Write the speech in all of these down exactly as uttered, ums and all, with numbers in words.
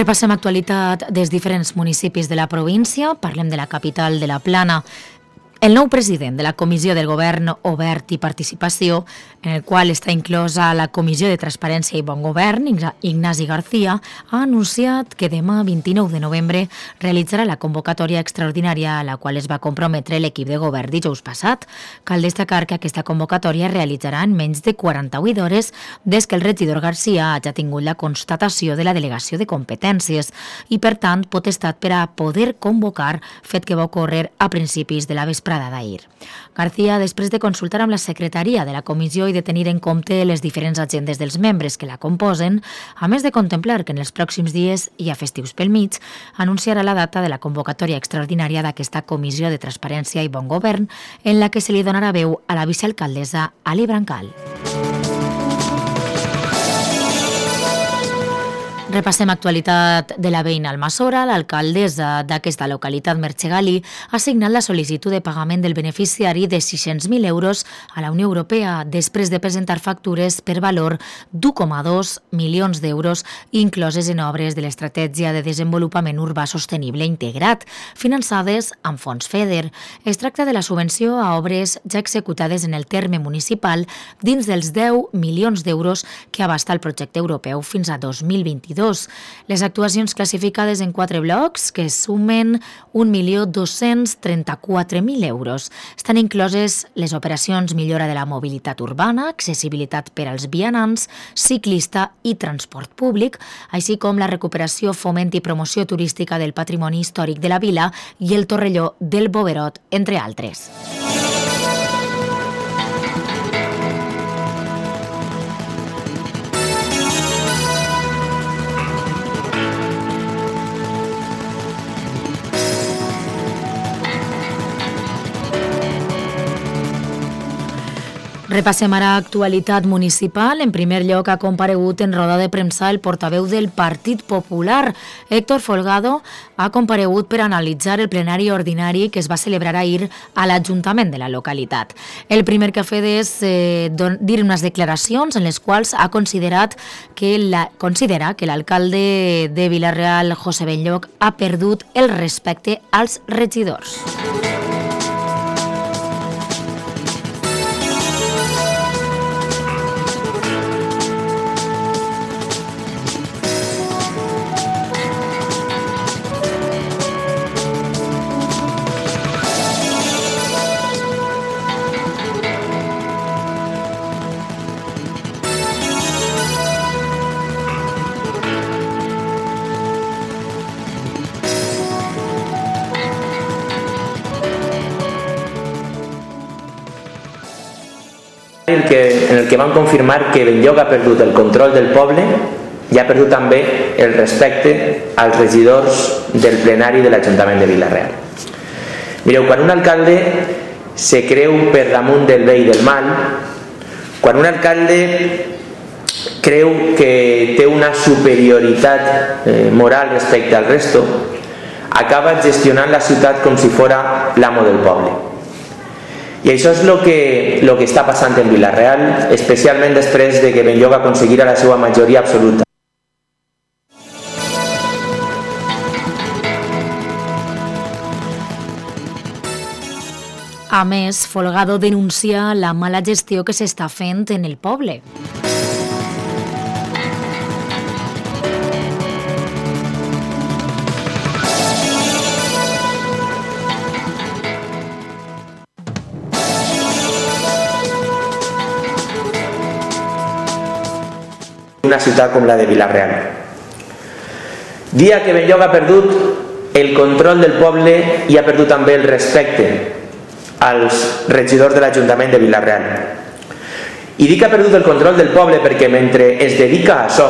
Repassem actualitat dels diferents municipis de la província. Parlem de la capital de la Plana. El nou president de la Comissió del Govern Obert i Participació, en el qual està inclosa la Comissió de Transparència i Bon Govern, Ignasi García, ha anunciat que demà, vint-i-nou de novembre, realitzarà la convocatòria extraordinària a la qual es va comprometre l'equip de govern dijous passat. Cal destacar que aquesta convocatòria es realitzarà en menys de quaranta-vuit hores des que el regidor García hagi tingut la constatació de la delegació de competències i, per tant, potestat per a poder convocar, fet que va ocórrer a principis de la vesprada d'ahir. García, després de consultar amb la secretaria de la comissió i de tenir en compte les diferents agendes dels membres que la composen, a més de contemplar que en els pròxims dies hi ha festius pel mig, anunciarà la data de la convocatòria extraordinària d'aquesta Comissió de Transparència i Bon Govern, en la que se li donarà veu a la vicealcaldessa Ali Brancal. Repassem actualitat de la veïna Almassora. L'alcaldessa d'aquesta localitat, Merche Gali, ha signat la sol·licitud de pagament del beneficiari de sis-cents mil euros a la Unió Europea després de presentar factures per valor d'u coma dos milions d'euros incloses en obres de l'Estratègia de Desenvolupament Urbà Sostenible Integrat, finançades amb fons FEDER. Es tracta de la subvenció a obres ja executades en el terme municipal dins dels deu milions d'euros que abasta el projecte europeu fins a dos mil vint-i-dos. Les actuacions classificades en quatre blocs, que sumen un milió dos-cents trenta-quatre mil euros. Estan incloses les operacions millora de la mobilitat urbana, accessibilitat per als vianants, ciclista i transport públic, així com la recuperació, foment i promoció turística del patrimoni històric de la vila i el torrelló del Boverot, entre altres. Repassem ara actualitat municipal. En primer lloc, ha comparegut en roda de premsa el portaveu del Partit Popular. Héctor Folgado ha comparegut per analitzar el plenari ordinari que es va celebrar ahir a l'Ajuntament de la localitat. El primer que ha fet és eh, dir unes declaracions en les quals ha considerat que la, considera que l'alcalde de Vila-real, José Benlloc, ha perdut el respecte als regidors. El que, en el que van confirmar que Benlloc ha perdut el control del poble i ha perdut també el respecte als regidors del plenari de l'Ajuntament de Vila-real. Mireu, quan un alcalde se creu per damunt del bé i del mal, quan un alcalde creu que té una superioritat eh, moral respecte al resto, acaba gestionant la ciutat com si fora l'amo del poble. I això és el que, lo que està passant en Vila-real, especialment després de que Benlloc aconseguira la seva majoria absoluta. A més, Folgado denuncia la mala gestió que s'està fent en el poble. Una ciutat com la de Vila-real. Dia que Benlloc ha perdut el control del poble i ha perdut també el respecte als regidors de l'Ajuntament de Vila-real. I dic que ha perdut el control del poble perquè mentre es dedica a això,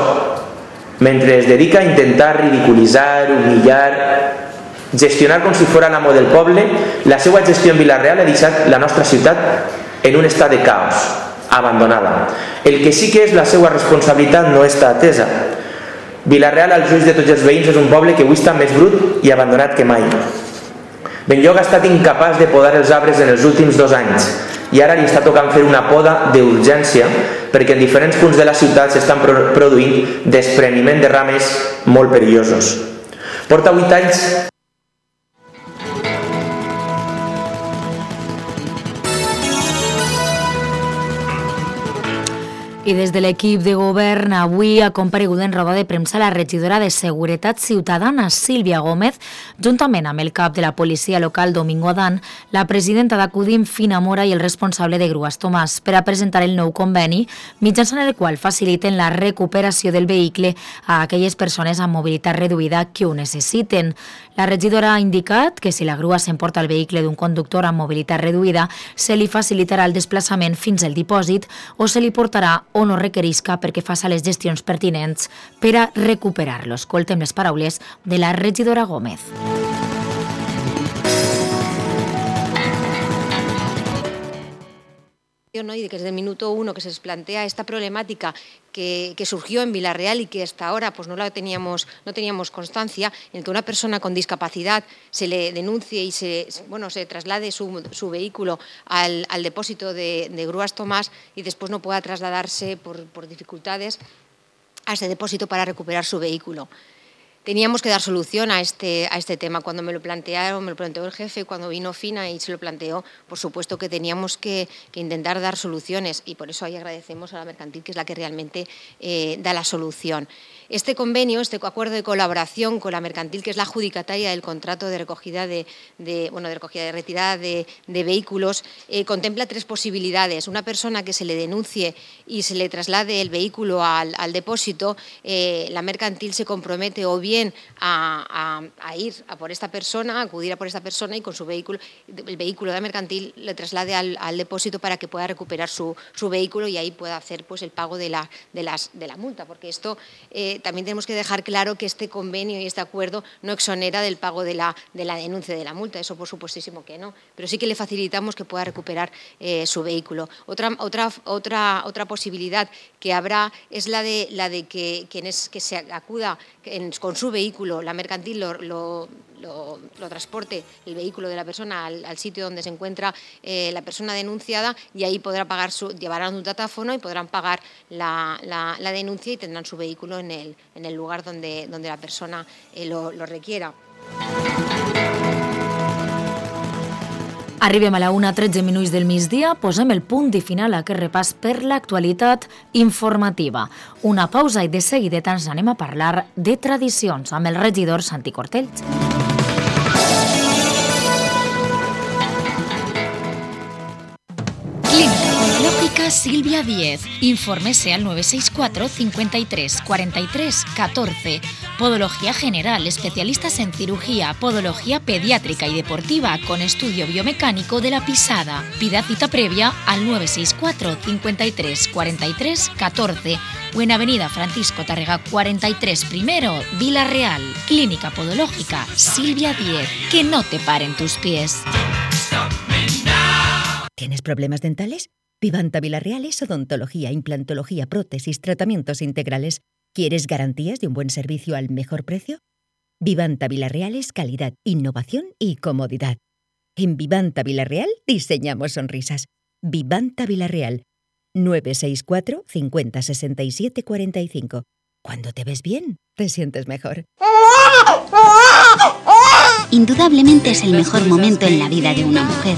mentre es dedica a intentar ridiculitzar, humillar, gestionar com si fora l'amo del poble, la seva gestió en Vila-real ha deixat la nostra ciutat en un estat de caos, abandonada. El que sí que és la seva responsabilitat no està atesa. Vila-real, als ulls de tots els veïns, és un poble que avui està més brut i abandonat que mai. Benlloc ha estat incapaç de podar els arbres en els últims dos anys i ara li està tocant fer una poda d'urgència perquè en diferents punts de la ciutat s'estan produint despreniment de rames molt perillosos. Porta vuit anys I des de l'equip de govern avui ha comparegut en roda de premsa la regidora de Seguretat Ciutadana, Sílvia Gómez, juntament amb el cap de la policia local, Domingo Adán, la presidenta d'Acudim, Fina Mora, i el responsable de Grues, Tomàs, per a presentar el nou conveni, mitjançant el qual faciliten la recuperació del vehicle a aquelles persones amb mobilitat reduïda que ho necessiten. La regidora ha indicat que si la grua s'emporta el vehicle d'un conductor amb mobilitat reduïda, se li facilitarà el desplaçament fins al dipòsit o se li portarà o no requerisca perquè faça les gestions pertinents per a recuperar-lo. Escoltem les paraules de la regidora Gómez. ¿no? Y de que desde el minuto uno que se les plantea esta problemática que, que surgió en Vila-real y que hasta ahora pues, no la teníamos, no teníamos constancia, en que una persona con discapacidad se le denuncie y se, bueno, se traslade su, su vehículo al, al depósito de, de Grues Tomàs y después no pueda trasladarse por, por dificultades a ese depósito para recuperar su vehículo. Teníamos que dar solución a este, a este tema. Cuando me lo plantearon, me lo planteó el jefe, cuando vino Fina y se lo planteó, por supuesto que teníamos que, que intentar dar soluciones y por eso ahí agradecemos a la mercantil, que es la que realmente eh, da la solución. Este convenio, este acuerdo de colaboración con la mercantil, que es la adjudicataria del contrato de recogida de, de, bueno, de, recogida de retirada de, de vehículos, eh, contempla tres posibilidades. Una persona que se le denuncie y se le traslade el vehículo al, al depósito, eh, la mercantil se compromete o bien a, a, a ir a por esta persona, a acudir a por esta persona y con su vehículo, el vehículo de la mercantil le traslade al, al depósito para que pueda recuperar su, su vehículo y ahí pueda hacer pues, el pago de la, de las, de la multa, porque esto eh, también tenemos que dejar claro que este convenio y este acuerdo no exonera del pago de la, de la denuncia de la multa, eso por supuestísimo que no, pero sí que le facilitamos que pueda recuperar eh, su vehículo. Otra, otra, otra, otra posibilidad que habrá es la de, la de que, que, es, que se acuda en, con su vehículo, la mercantil lo, lo, lo, lo transporte el vehículo de la persona al, al sitio donde se encuentra eh, la persona denunciada y ahí podrá pagar su, llevarán un datáfono y podrán pagar la, la, la denuncia y tendrán su vehículo en el, en el lugar donde, donde la persona eh, lo, lo requiera. Arribem a la una, tretze minuts del migdia, posem el punt i final a aquest repàs per l'actualitat informativa. Una pausa i de seguidet ens anem a parlar de tradicions amb el regidor Santi Cortells. Clínica Podológica Silvia Díez. Infórmese al nueve seis cuatro, cincuenta y tres, cuarenta y tres, catorce. Podología general, especialistas en cirugía, podología pediátrica y deportiva con estudio biomecánico de la pisada. Pida cita previa al nueve seis cuatro, cincuenta y tres, cuarenta y tres, catorce o en Avenida Francisco Tárrega cuarenta y tres primero, Vila-real. Clínica Podológica Silvia Díez. Que no te paren tus pies. ¿Tienes problemas dentales? Vivanta Vila-real es odontología, implantología, prótesis, tratamientos integrales. ¿Quieres garantías de un buen servicio al mejor precio? Vivanta Vila-real es calidad, innovación y comodidad. En Vivanta Vila-real diseñamos sonrisas. Vivanta Vila-real, nueve seis cuatro, cincuenta, sesenta y siete, cuarenta y cinco. Cuando te ves bien, te sientes mejor. Indudablemente es el mejor momento en la vida de una mujer.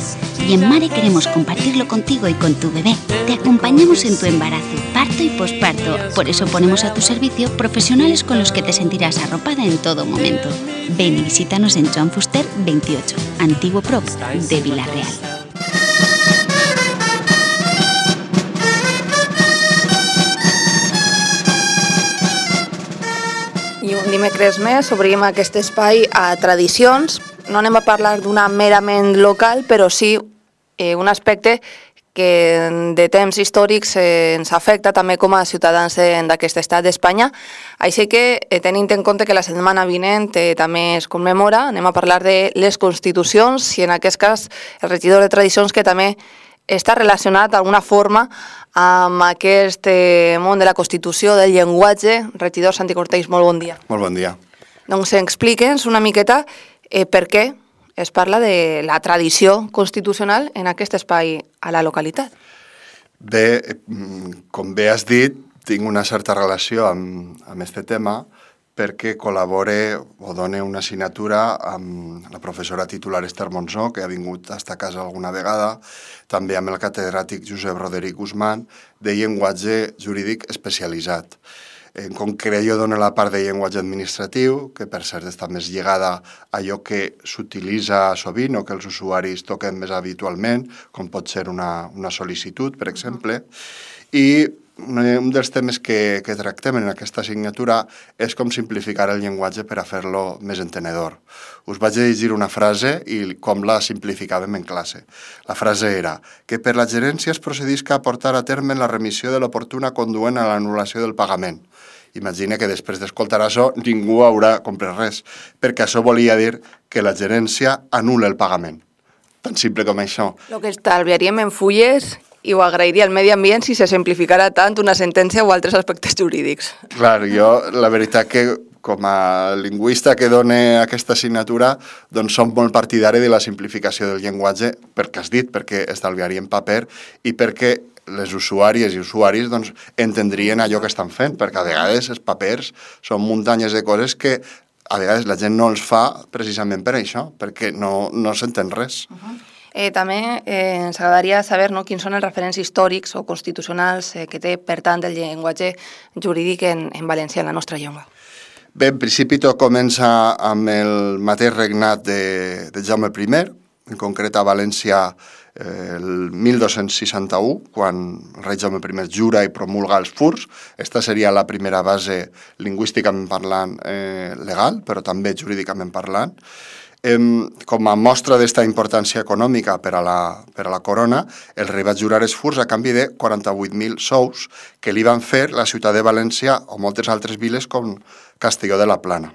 Y en Mare queremos compartirlo contigo y con tu bebé. Te acompañamos en tu embarazo, parto y posparto. Por eso ponemos a tu servicio profesionales con los que te sentirás arropada en todo momento. Ven y visítanos en Joan Fuster veintiocho, antiguo Prop de Vila-real. I un dimecres més obrim aquest espai a tradicions. No anem a parlar d'una merament local, però sí eh, un aspecte que de temps històrics eh, ens afecta també com a ciutadans d'aquest estat d'Espanya. Així que, eh, tenint en compte que la setmana vinent eh, també es commemora, anem a parlar de les constitucions i en aquest cas el regidor de tradicions que també està relacionat d'alguna forma amb aquest eh, món de la Constitució, del llenguatge. Regidor Santi Cortells, molt bon dia. Molt bon dia. Doncs explica'ns una miqueta eh, per què es parla de la tradició constitucional en aquest espai a la localitat. Bé, com bé has dit, tinc una certa relació amb, amb este tema perquè col·labore o done una assignatura amb la professora titular Esther Monsó, que ha vingut a esta casa alguna vegada, també amb el catedràtic Josep Roderic Guzmán, de llenguatge jurídic especialitzat. En concret, jo dono la part de llenguatge administratiu, que per cert està més lligada a allò que s'utilitza sovint o que els usuaris toquen més habitualment, com pot ser una, una sol·licitud, per exemple, i un dels temes que, que tractem en aquesta assignatura és com simplificar el llenguatge per a fer-lo més entenedor. Us vaig a llegir una frase i com la simplificàvem en classe. La frase era que per la gerència es procedisca a portar a terme la remissió de l'oportuna conduent a l'anul·lació del pagament. Imagina que després d'escoltar això ningú haurà comprat res, perquè això volia dir que la gerència anul·la el pagament. Tan simple com això. Lo que estalviaríem en fulles i ho agrairia al medi ambient si se simplificara tant una sentència o altres aspectes jurídics. Clar, jo la veritat que com a lingüista que dona aquesta assignatura, doncs som molt partidari de la simplificació del llenguatge, perquè has dit, perquè estalviaríem paper i perquè les usuàries i usuaris doncs, entendrien allò que estan fent, perquè a vegades els papers són muntanyes de coses que a vegades la gent no els fa precisament per això, perquè no, no s'entén res. Uh-huh. Eh, també eh, ens agradaria saber no, quins són els referents històrics o constitucionals eh, que té, per tant, el llenguatge jurídic en, en valencià, en la nostra llengua. Bé, en principi tot comença amb el mateix regnat de, de Jaume primer, en concret a València eh, el mil dos-cents seixanta-u, quan el rei Jaume primer jura i promulga els furs. Esta seria la primera base lingüísticament parlant eh, legal, però també jurídicament parlant. Eh, com a mostra d'esta importància econòmica per a, la, per a la corona, el rei va jurar els furs a canvi de quaranta-vuit mil sous que li van fer la ciutat de València o moltes altres viles com Castelló de la Plana.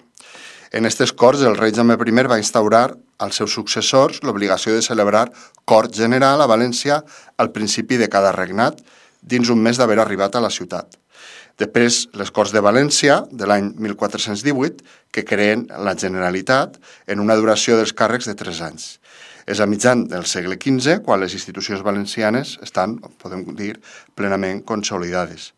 En aquestes corts, el rei Jaume primer va instaurar als seus successors l'obligació de celebrar cort general a València al principi de cada regnat, dins un mes d'haver arribat a la ciutat. Després, les Corts de València, de l'any mil quatre-cents divuit, que creen la Generalitat en una duració dels càrrecs de tres anys. És a mitjan del segle quinze, quan les institucions valencianes estan, podem dir, plenament consolidades.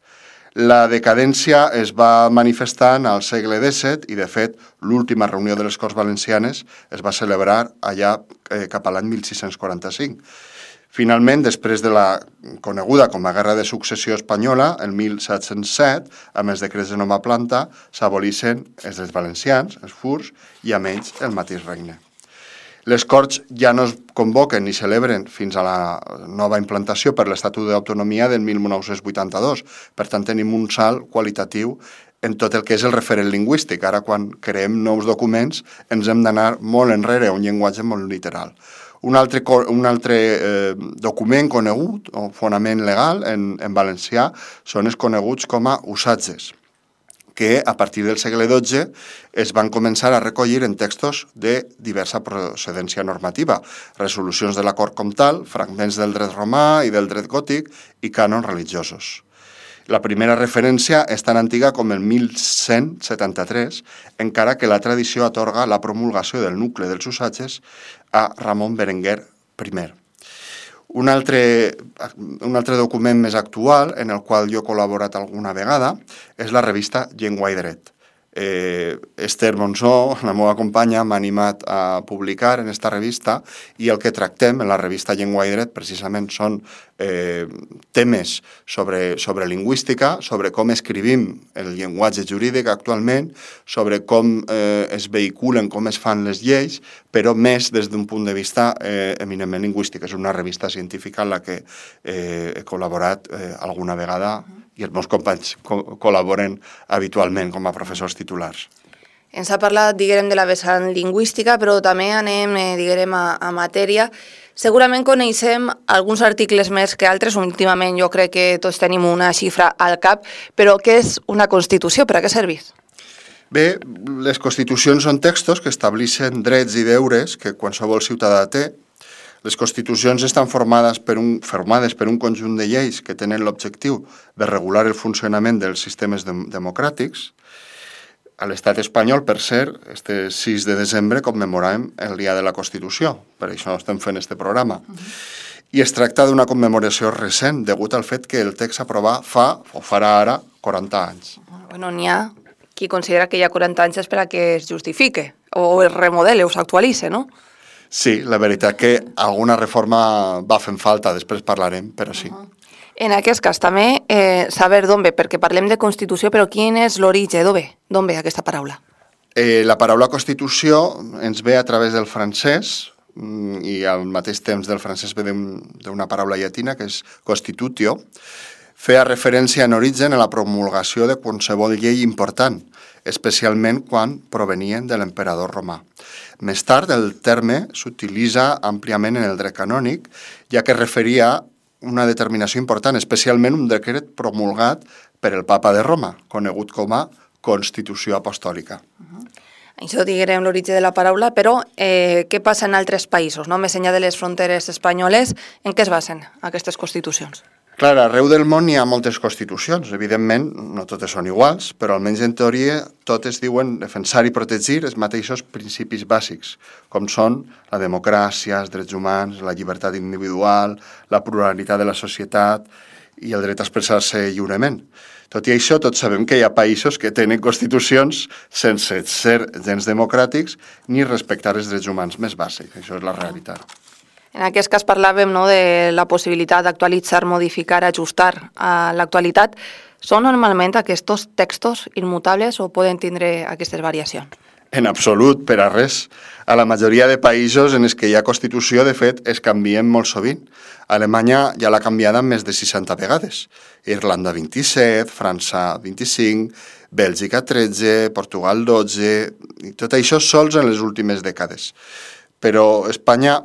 La decadència es va manifestant al segle disset i, de fet, l'última reunió de les Corts Valencianes es va celebrar allà eh, cap a l'any mil sis-cents quaranta-cinc. Finalment, després de la coneguda com a Guerra de Successió Espanyola, el mil set-cents set, amb els decrets de nova planta, s'abolixen els drets valencians, els furs, i amb ells el mateix regne. Les Corts ja no es convoquen ni celebren fins a la nova implantació per l'Estatut d'Autonomia del mil nou-cents vuitanta-dos. Per tant, tenim un salt qualitatiu en tot el que és el referent lingüístic. Ara, quan creem nous documents, ens hem d'anar molt enrere a un llenguatge molt literal. Un altre, un altre eh, document conegut, o fonament legal, en, en valencià, són els coneguts com a usatges, que a partir del segle dotze es van començar a recollir en textos de diversa procedència normativa, resolucions de la Cort Comtal, fragments del dret romà i del dret gòtic i cànons religiosos. La primera referència és tan antiga com el mil cent setanta-tres, encara que la tradició atorga la promulgació del nucli dels usatges a Ramon Berenguer primer. Un altre, un altre document més actual, en el qual jo he col·laborat alguna vegada, és la revista Llengua i Dret. Eh, Esther Monsó, la meva companya, m'ha animat a publicar en esta revista i el que tractem en la revista Llengua i Dret precisament són eh, temes sobre, sobre lingüística, sobre com escrivim el llenguatge jurídic actualment, sobre com eh, es vehiculen, com es fan les lleis, però més des d'un punt de vista eh, eminentment lingüístic. És una revista científica en la que eh, he col·laborat eh, alguna vegada i els meus companys co- col·laboren habitualment com a professors titulars. Ens ha parlat, diguem, de la vessant lingüística, però també anem, eh, diguem, a, a matèria. Segurament coneixem alguns articles més que altres. Últimament jo crec que tots tenim una xifra al cap, però què és una Constitució? Per a què serveix? Bé, les constitucions són textos que estableixen drets i deures que qualsevol ciutadà té. Les constitucions estan formades per, un, formades per un conjunt de lleis que tenen l'objectiu de regular el funcionament dels sistemes de, democràtics. A l'estat espanyol, per cert, este sis de desembre commemorem el Dia de la Constitució, per això estem fent este programa. Uh-huh. i es tracta d'una commemoració recent, degut al fet que el text s'aprovà fa, o farà ara, quaranta anys. Bueno, n'hi ha qui considera que hi ha quaranta anys és per a que es justifique, o es remodele, o s'actualitze, no? Sí, la veritat que alguna reforma va fent falta, després parlarem, però sí. Uh-huh. En aquest cas també eh, saber d'on ve, perquè parlem de Constitució, però quin és l'origen, d'on ve? D'on ve aquesta paraula? Eh, la paraula Constitució ens ve a través del francès, i al mateix temps del francès ve d'una paraula llatina que és constitutio, feia referència en origen a la promulgació de qualsevol llei important, especialment quan provenien de l'emperador romà. Més tard, el terme s'utilitza àmpliament en el dret canònic, ja que referia una determinació important, especialment un decret promulgat per el papa de Roma, conegut com a Constitució Apostòlica. Uh-huh. Això diguem l'origen de la paraula, però eh, què passa en altres països, no? Més enllà de les fronteres espanyoles, en què es basen aquestes constitucions? Clar, arreu del món hi ha moltes constitucions. Evidentment, no totes són iguals, però almenys en teoria totes diuen defensar i protegir els mateixos principis bàsics, com són la democràcia, els drets humans, la llibertat individual, la pluralitat de la societat i el dret a expressar-se lliurement. Tot i això, tots sabem que hi ha països que tenen constitucions sense ser gens democràtics ni respectar els drets humans més bàsics. Això és la realitat. En aquest cas parlàvem, no, de la possibilitat d'actualitzar, modificar, ajustar a l'actualitat. Són normalment aquests textos immutables o poden tindre aquestes variacions? En absolut, per a res. A la majoria de països en els que hi ha Constitució, de fet, es canvien molt sovint. Alemanya ja l'ha canviada més de seixanta vegades. Irlanda vint-i-set, França vint-i-cinc, Bèlgica tretze, Portugal dotze, i tot això sols en les últimes dècades. Però Espanya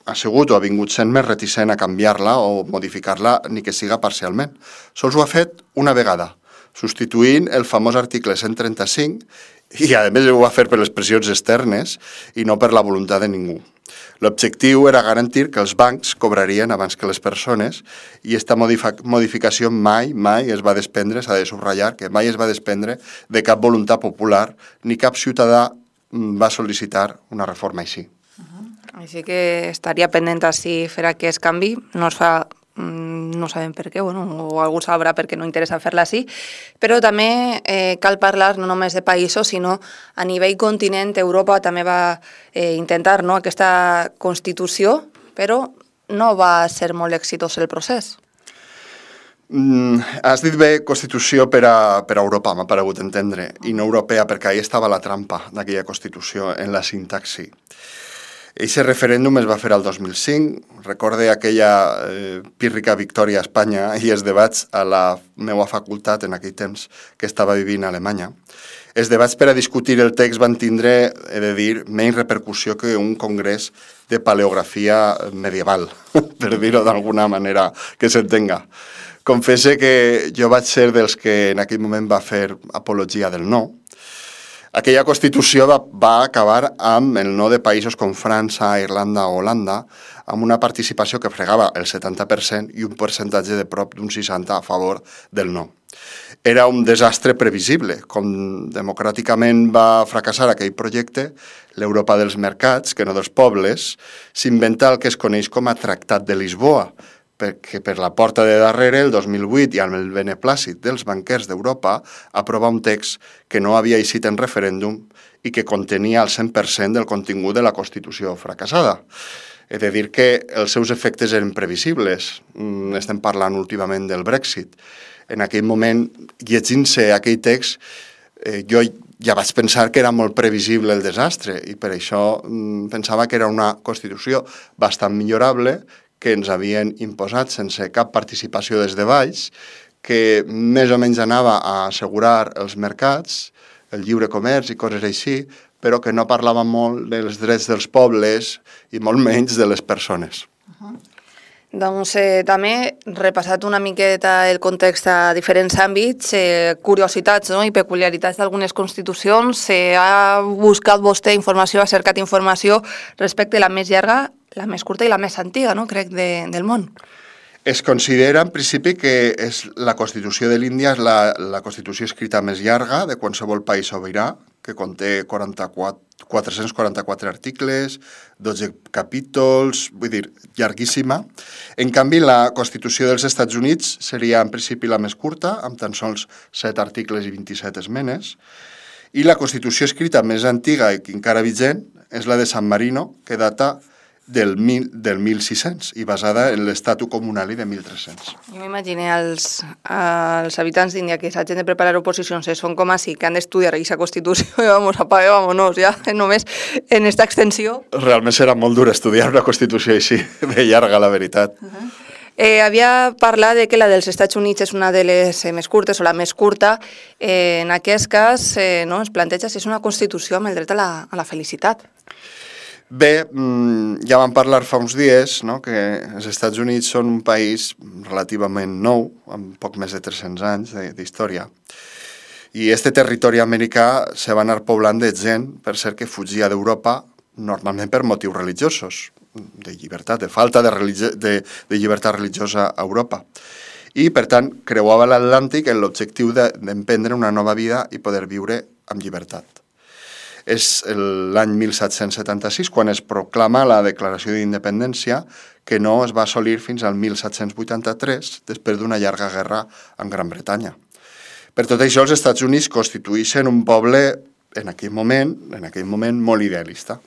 ha sigut o ha vingut sent més reticent a canviar-la o modificar-la, ni que siga parcialment. Sols ho ha fet una vegada, substituint el famós article cent trenta-cinc, i a més ho va fer per les pressions externes i no per la voluntat de ningú. L'objectiu era garantir que els bancs cobrarien abans que les persones i aquesta modificació mai, mai es va desprendre, s'ha de subratllar, que mai es va desprendre de cap voluntat popular ni cap ciutadà va sol·licitar una reforma així. Uh-huh. Així que estaria pendent si fer aquest canvi, no es fa... no sabem per què, bueno, o algú sabrà perquè no interessa fer-la així, però també eh, cal parlar no només de països, sinó a nivell continent, Europa també va eh, intentar, no, aquesta Constitució, però no va ser molt exitós el procés. Mm, has dit bé Constitució per a, per a Europa, m'ha paregut entendre, i no europea, perquè ahí estava la trampa d'aquella Constitució, en la sintaxi. Eixe referèndum es va fer al dos mil cinc, recorde aquella eh, pírrica victòria a Espanya i els debats a la meva facultat en aquell temps que estava vivint a Alemanya. Els debats per a discutir el text van tindre, he de dir, menys repercussió que un congrés de paleografia medieval, per dir-ho d'alguna manera que s'entenga. Confesse que jo vaig ser dels que en aquell moment va fer apologia del no. Aquella Constitució va, va acabar amb el no de països com França, Irlanda o Holanda, amb una participació que fregava el setanta per cent i un percentatge de prop d'un seixanta per cent a favor del no. Era un desastre previsible. Com democràticament va fracassar aquell projecte, l'Europa dels mercats, que no dels pobles, s'inventa el que es coneix com a Tractat de Lisboa, perquè per la porta de darrere, el dos mil vuit, i amb el beneplàcit dels banquers d'Europa, aprova un text que no havia eixit en referèndum i que contenia el cent per cent del contingut de la Constitució fracassada. He de dir que els seus efectes eren previsibles. Estem parlant últimament del Brexit. En aquell moment, llegint-se aquell text, eh, jo ja vaig pensar que era molt previsible el desastre i per això mm, pensava que era una Constitució bastant millorable, que ens havien imposat sense cap participació des de baix, que més o menys anava a assegurar els mercats, el lliure comerç i coses així, però que no parlava molt dels drets dels pobles i molt menys de les persones. Uh-huh. Doncs eh, també, repassat una miqueta el context a diferents àmbits, eh, curiositats, no, i peculiaritats d'algunes constitucions, eh, ha buscat vostè informació, ha cercat informació respecte a la més llarga, la més curta i la més antiga, no?, crec, de, del món. Es considera, en principi, que és la Constitució de l'Índia és la, la Constitució escrita més llarga de qualsevol país sobirà, que que conté quaranta-quatre, quatre-cents quaranta-quatre articles, dotze capítols, vull dir, llarguíssima. En canvi, la Constitució dels Estats Units seria en principi la més curta, amb tan sols set articles i vint-i-set esmenes, i la Constitució escrita més antiga i encara vigent és la de San Marino, que data del, mil, del mil sis-cents i basada en l'Estatu Comunali de mil tres-cents. Jo m'imagino els, els habitants d'Índia que s'hagin de preparar oposicions, eh, són com així, que han d'estudiar aquesta Constitució i vamos, apague, vámonos, ja, només en esta extensió. Realment serà molt dur estudiar una Constitució així, de llarga, la veritat. Uh-huh. Eh, havia parlat de que la dels Estats Units és una de les eh, més curtes o la més curta. Eh, en aquest cas, eh, no, es planteja si és una Constitució amb el dret a la, a la felicitat. Bé, ja vam parlar fa uns dies, no?, que els Estats Units són un país relativament nou, amb poc més de tres-cents anys d'història. I este territori americà se va anar poblant de gent, per cert, que fugia d'Europa, normalment per motius religiosos, de llibertat, de falta de, religi- de, de llibertat religiosa a Europa. I, per tant, creuava l'Atlàntic en l'objectiu de, d'emprendre una nova vida i poder viure amb llibertat. És l'any mil set-cents setanta-sis quan es proclama la Declaració d'Independència, que no es va assolir fins al mil set-cents vuitanta-tres, després d'una llarga guerra amb Gran Bretanya. Per tot això, els Estats Units constitueixen un poble, en aquell moment, en aquell moment molt idealista.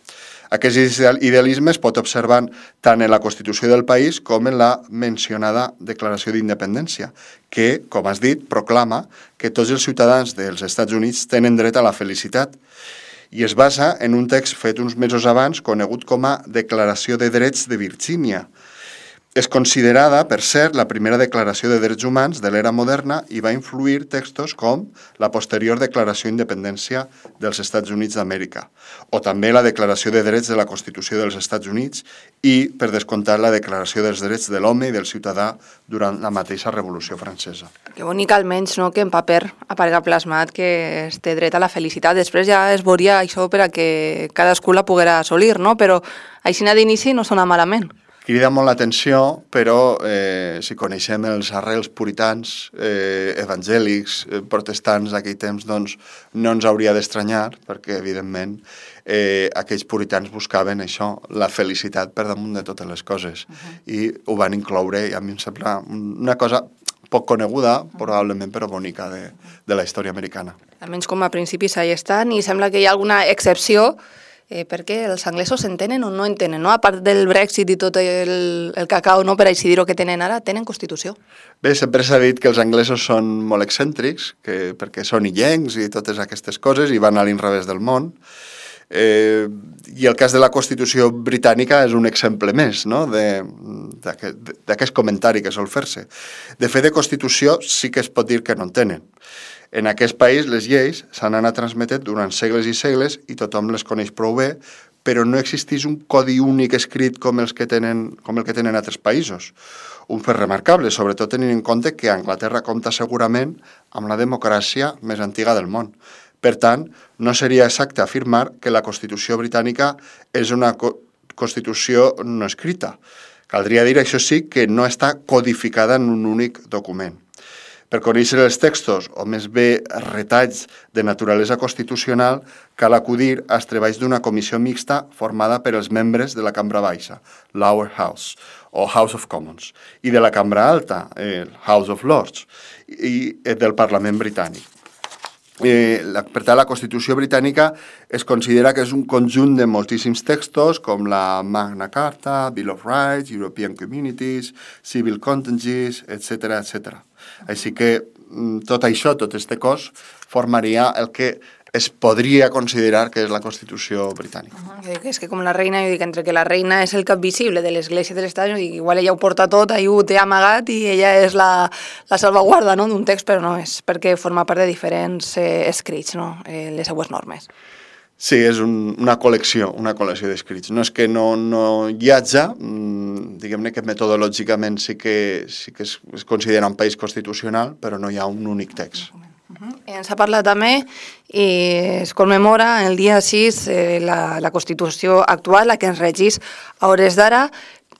Aquest idealisme es pot observar tant en la Constitució del país com en la mencionada Declaració d'Independència, que, com has dit, proclama que tots els ciutadans dels Estats Units tenen dret a la felicitat, i es basa en un text fet uns mesos abans conegut com a Declaració de Drets de Virgínia. És considerada, per cert, la primera declaració de drets humans de l'era moderna i va influir textos com la posterior Declaració d'Independència dels Estats Units d'Amèrica, o també la Declaració de Drets de la Constitució dels Estats Units i, per descomptat, la Declaració dels Drets de l'Home i del Ciutadà durant la mateixa Revolució Francesa. Que bonic almenys, no?, que en paper aparega plasmat que es té dret a la felicitat. Després ja es veuria això per a que cadascú la poguera assolir, no? Però així d'inici no sona malament. Crida molt l'atenció, però eh, si coneixem els arrels puritans, eh, evangèlics, eh, protestants d'aquell temps, doncs no ens hauria d'estranyar, perquè evidentment eh, aquells puritans buscaven això, la felicitat per damunt de totes les coses, uh-huh. i ho van incloure, i a mi em sembla una cosa poc coneguda, uh-huh. probablement, però bonica de, de la història americana. Almenys com a principis ahí estan, i sembla que hi ha alguna excepció, Eh, perquè els anglesos entenen o no entenen, no? A part del Brexit i tot el, el cacau, no, per així dir-ho, que tenen ara, tenen Constitució. Bé, sempre s'ha dit que els anglesos són molt excèntrics, que, perquè són illencs i totes aquestes coses, i van a l'inrevés del món. Eh, I el cas de la Constitució britànica és un exemple més, no?, d'aquest comentari que sol fer-se. De fet, de Constitució sí que es pot dir que no en tenen. En aquest país les lleis s'han anat transmetent durant segles i segles i tothom les coneix prou bé, però no existeix un codi únic escrit com, els que tenen, com el que tenen altres països. Un fet remarcable, sobretot tenint en compte que Anglaterra compta segurament amb la democràcia més antiga del món. Per tant, no seria exacte afirmar que la Constitució britànica és una co- Constitució no escrita. Caldria dir, això sí, que no està codificada en un únic document. Per conèixer els textos, o més bé retalls de naturalesa constitucional, cal acudir als treballs d'una comissió mixta formada per els membres de la Cambra Baixa, Lower House, o House of Commons, i de la Cambra Alta, el House of Lords, i del Parlament britànic. Eh, la, per tant, la Constitució britànica es considera que és un conjunt de moltíssims textos, com la Magna Carta, Bill of Rights, European Communities, Civil Contenciousness, etcètera, etcètera. Així que tot això, tot este cos, formaria el que es podria considerar que és la Constitució britànica. Uh-huh. És que com la reina, jo dic, entre que la reina és el cap visible de l'Església de l'Estat, igual ella ho porta tot, ahí ho té amagat i ella és la, la salvaguarda, no?, d'un text, però no, és perquè forma part de diferents eh, escrits, no?, eh, les seues normes. Sí, és un, una col·lecció, una col·lecció d'escrits. No és que no, no hi hagi, mmm, diguem-ne que metodològicament sí que, sí que es, es considera un país constitucional, però no hi ha un únic text. Uh-huh. Ens ha parlat també i es commemora el dia sis eh, la, la Constitució actual, la que ens regeix a hores d'ara,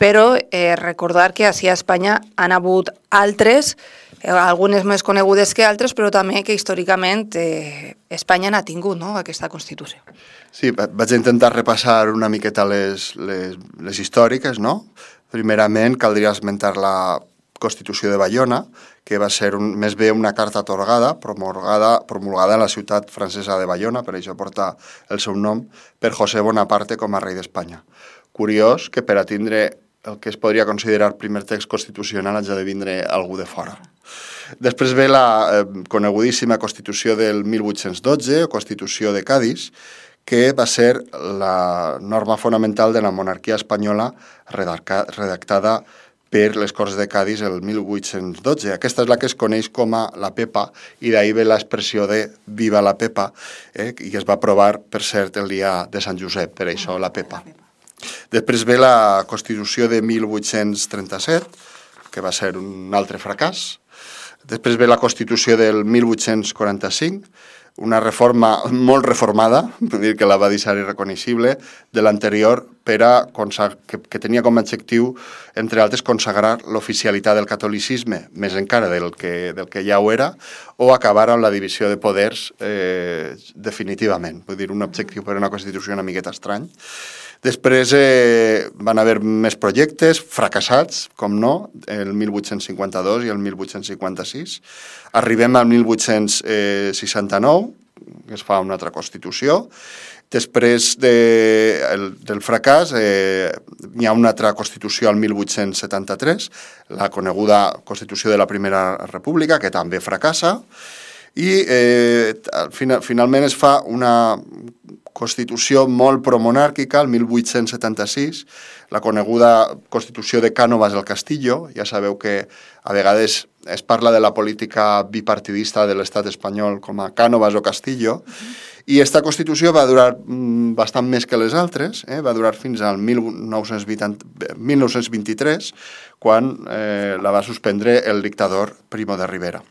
però eh, recordar que així a Espanya han hagut altres, eh, algunes més conegudes que altres, però també que històricament eh, Espanya n'ha tingut, no?, aquesta Constitució. Sí, vaig intentar repassar una miqueta les, les, les històriques, no? Primerament, caldria esmentar la Constitució de Bayona, que va ser un, més bé una carta atorgada, promulgada, promulgada en la ciutat francesa de Bayona, per això porta el seu nom, per José Bonaparte com a rei d'Espanya. Curiós que per a tindre el que es podria considerar primer text constitucional haja de vindre algú de fora. Després ve la eh, conegudíssima Constitució del mil vuit-cents dotze, o Constitució de Cadis, que va ser la norma fonamental de la monarquia espanyola redactada per les Corts de Cadis el mil vuit-cents dotze. Aquesta és la que es coneix com a la Pepa, i d'ahir ve l'expressió de Viva la Pepa, eh, i es va aprovar, per cert, el dia de Sant Josep, per això la Pepa. Després ve la Constitució de mil vuit-cents trenta-set, que va ser un altre fracàs. Després ve la Constitució del mil vuit-cents quaranta-cinc, una reforma molt reformada, vull dir que la va deixar irreconeixible, de l'anterior, per a que, que tenia com a objectiu, entre altres, consagrar l'oficialitat del catolicisme, més encara del que, del que ja ho era, o acabar amb la divisió de poders eh, definitivament. Vull dir, un objectiu per a una Constitució una miqueta estrany. Després eh, van haver més projectes fracassats, com no, el mil vuit-cents cinquanta-dos i el mil vuit-cents cinquanta-sis. Arribem al mil vuit-cents seixanta-nou, que es fa una altra Constitució. Després de, el, del fracàs eh, hi ha una altra Constitució al mil vuit-cents setanta-tres, la coneguda Constitució de la Primera República, que també fracassa, i eh, final, finalment es fa una Constitució molt promonàrquica, el mil vuit-cents setanta-sis, la coneguda Constitució de Cánovas del Castillo. Ja sabeu que a vegades es parla de la política bipartidista de l'estat espanyol com a Cánovas o Castillo, i aquesta Constitució va durar mm, bastant més que les altres, eh? Va durar fins al mil nou-cents vint-i-tres, quan eh, la va suspendre el dictador Primo de Rivera.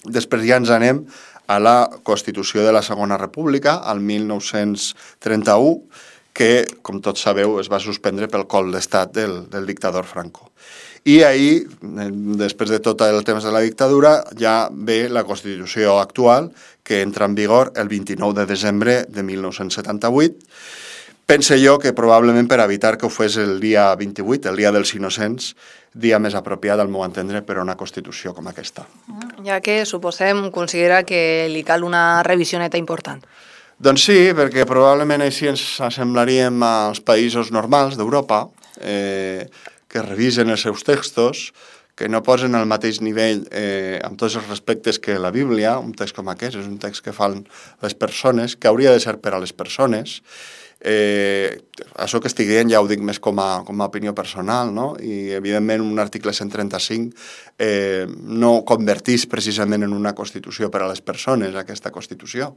Després ja ens anem a la Constitució de la Segona República, al mil nou-cents trenta-u, que, com tots sabeu, es va suspendre pel cop d'estat del, del dictador Franco. I ahir, després de tot el temps de la dictadura, ja ve la Constitució actual, que entra en vigor el vint-i-nou de desembre de mil nou-cents setanta-vuit. Pense jo que probablement per evitar que ho fes el dia vint-i-vuit, el dia dels innocents, dia més apropiat al meu entendre per a una Constitució com aquesta. Ja que suposem, considera que li cal una revisioneta important. Doncs sí, perquè probablement així ens assemblaríem als països normals d'Europa, eh, que revisen els seus textos, que no posen al mateix nivell eh, amb tots els respectes que la Bíblia. Un text com aquest és un text que fan les persones, que hauria de ser per a les persones. Eh, això que estic dient ja ho dic més com a, com a opinió personal, no? I evidentment un article cent trenta-cinc eh, no convertís precisament en una Constitució per a les persones, aquesta Constitució.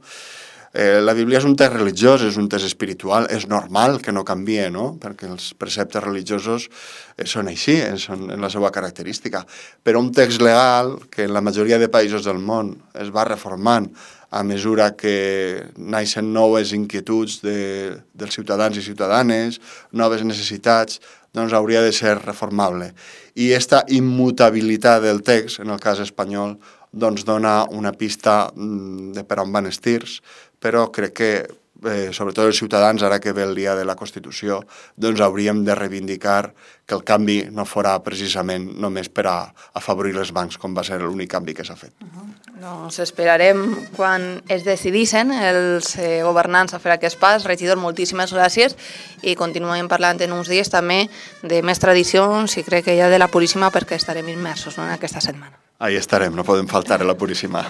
Eh, la Bíblia és un text religiós, és un text espiritual, és normal que no canvie, no? Perquè els preceptes religiosos eh, són així, eh, són en la seva característica. Però un text legal, que en la majoria de països del món es va reformant a mesura que naixen noves inquietuds de, dels ciutadans i ciutadanes, noves necessitats, doncs hauria de ser reformable. I aquesta immutabilitat del text, en el cas espanyol, doncs dona una pista de per on van els tirs, però crec que, eh, sobretot els ciutadans, ara que ve el dia de la Constitució, doncs hauríem de reivindicar que el canvi no fora precisament només per a afavorir els bancs, com va ser l'únic canvi que s'ha fet. Uh-huh. Doncs esperarem quan es decidissin els eh, governants a fer aquest pas. Regidor, moltíssimes gràcies i continuem parlant en uns dies també de més tradicions i crec que ja de la Puríssima, perquè estarem immersos, no, en aquesta setmana. Ahí estarem, no podem faltar a la Puríssima.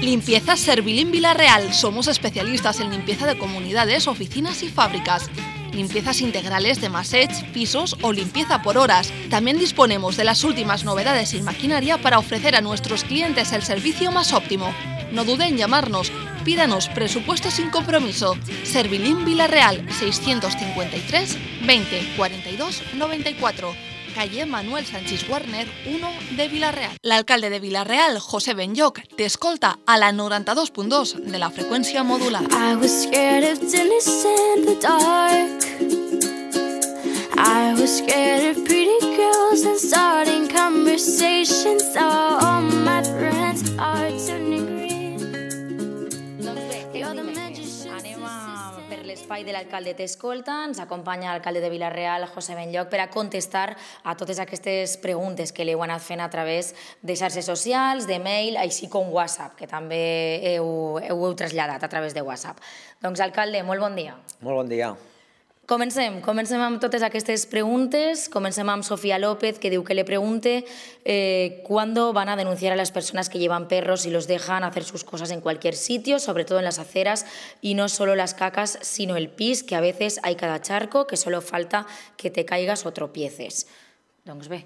Limpieza Servilín Villarreal. Somos especialistas en limpieza de comunidades, oficinas y fábricas. Limpiezas integrales de massage, pisos o limpieza por horas. También disponemos de las últimas novedades en maquinaria para ofrecer a nuestros clientes el servicio más óptimo. No duden en llamarnos. Pídanos presupuesto sin compromiso. Servilín Villarreal, seiscientos cincuenta y tres, veinte, cuarenta y dos, noventa y cuatro. calle Manuel Sánchez Warner uno de Vila-real. L'alcalde de Vila-real, José Benlloch, t'escolta a la noranta-dos punt dos de la freqüència modulada. I was scared of dinners in the dark. I was scared of pretty girls and starting conversations. Oh, all my friends are turning green. Doncs bé, anem a, per l'espai de l'alcalde t'escolta. Ens acompanya l'alcalde de Vila-real, José Benlloch, per a contestar a totes aquestes preguntes que li heu anat fent a través de xarxes socials, de mail, així com WhatsApp, que també heu, heu, heu traslladat a través de WhatsApp. Doncs, alcalde, molt bon dia. Molt bon dia. Comencem, comencem amb totes aquestes preguntes. Comencem amb Sofía López, que diu que le pregunte eh, ¿cuándo van a denunciar a las personas que llevan perros y los dejan hacer sus cosas en cualquier sitio, sobre todo en las aceras, y no solo las cacas, sino el pis, que a veces hay cada charco, que solo falta que te caigas o tropieces? Doncs bé.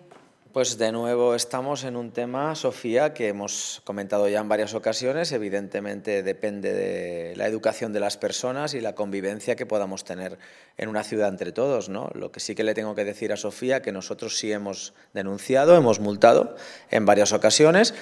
Pues de nuevo estamos en un tema, Sofía, que hemos comentado ya en varias ocasiones. Evidentemente depende de la educación de las personas y la convivencia que podamos tener en una ciudad entre todos, ¿no? Lo que sí que le tengo que decir a Sofía, que nosotros sí hemos denunciado, hemos multado en varias ocasiones,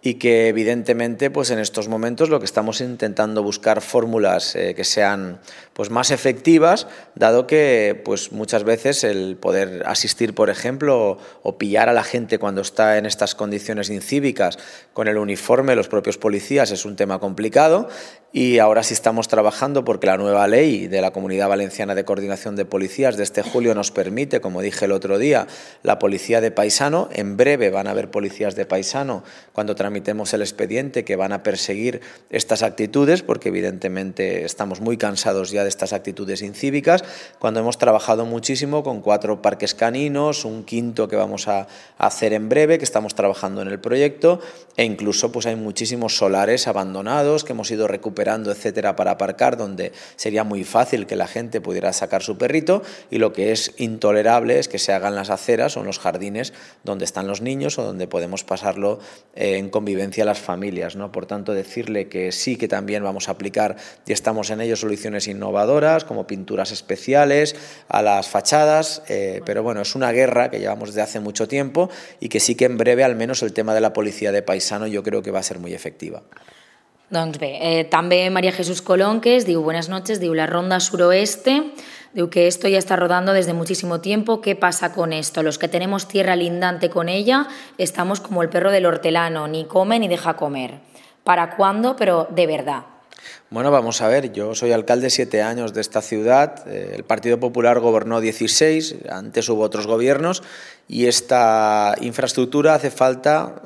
y que evidentemente pues en estos momentos lo que estamos intentando buscar fórmulas eh, que sean pues más efectivas, dado que pues muchas veces el poder asistir, por ejemplo, o, o pillar a la gente cuando está en estas condiciones incívicas con el uniforme, los propios policías, es un tema complicado, y ahora sí estamos trabajando porque la nueva ley de la Comunidad Valenciana de Coordinación de Policías de este julio nos permite, como dije el otro día, la policía de paisano. En breve van a haber policías de paisano cuando tramitemos el expediente, que van a perseguir estas actitudes, porque evidentemente estamos muy cansados ya de estas actitudes incívicas, cuando hemos trabajado muchísimo con cuatro parques caninos, un quinto que vamos a hacer en breve, que estamos trabajando en el proyecto, e incluso pues hay muchísimos solares abandonados que hemos ido recuperando, etcétera, para aparcar, donde sería muy fácil que la gente pudiera sacar su perrito, y lo que es intolerable es que se hagan las aceras o en los jardines donde están los niños o donde podemos pasarlo eh, en convivencia a las familias, ¿no? Por tanto, decirle que sí, que también vamos a aplicar, y estamos en ello, soluciones innovadoras como pinturas especiales a las fachadas, eh, pero bueno, es una guerra que llevamos desde hace mucho tiempo, y que sí que en breve al menos el tema de la policía de paisano yo creo que va a ser muy efectiva. Doncs bé, eh, també María Jesús Colonques diu, buenas noches, diu, la ronda suroeste, diu que esto ya está rodando desde muchísimo tiempo. ¿Qué pasa con esto? Los que tenemos tierra lindante con ella estamos como el perro del hortelano, ni come ni deja comer. ¿Para cuándo? Pero de verdad. Bueno, vamos a ver, yo soy alcalde siete años de esta ciudad, el Partido Popular gobernó dieciséis, antes hubo otros gobiernos, y esta infraestructura hace falta,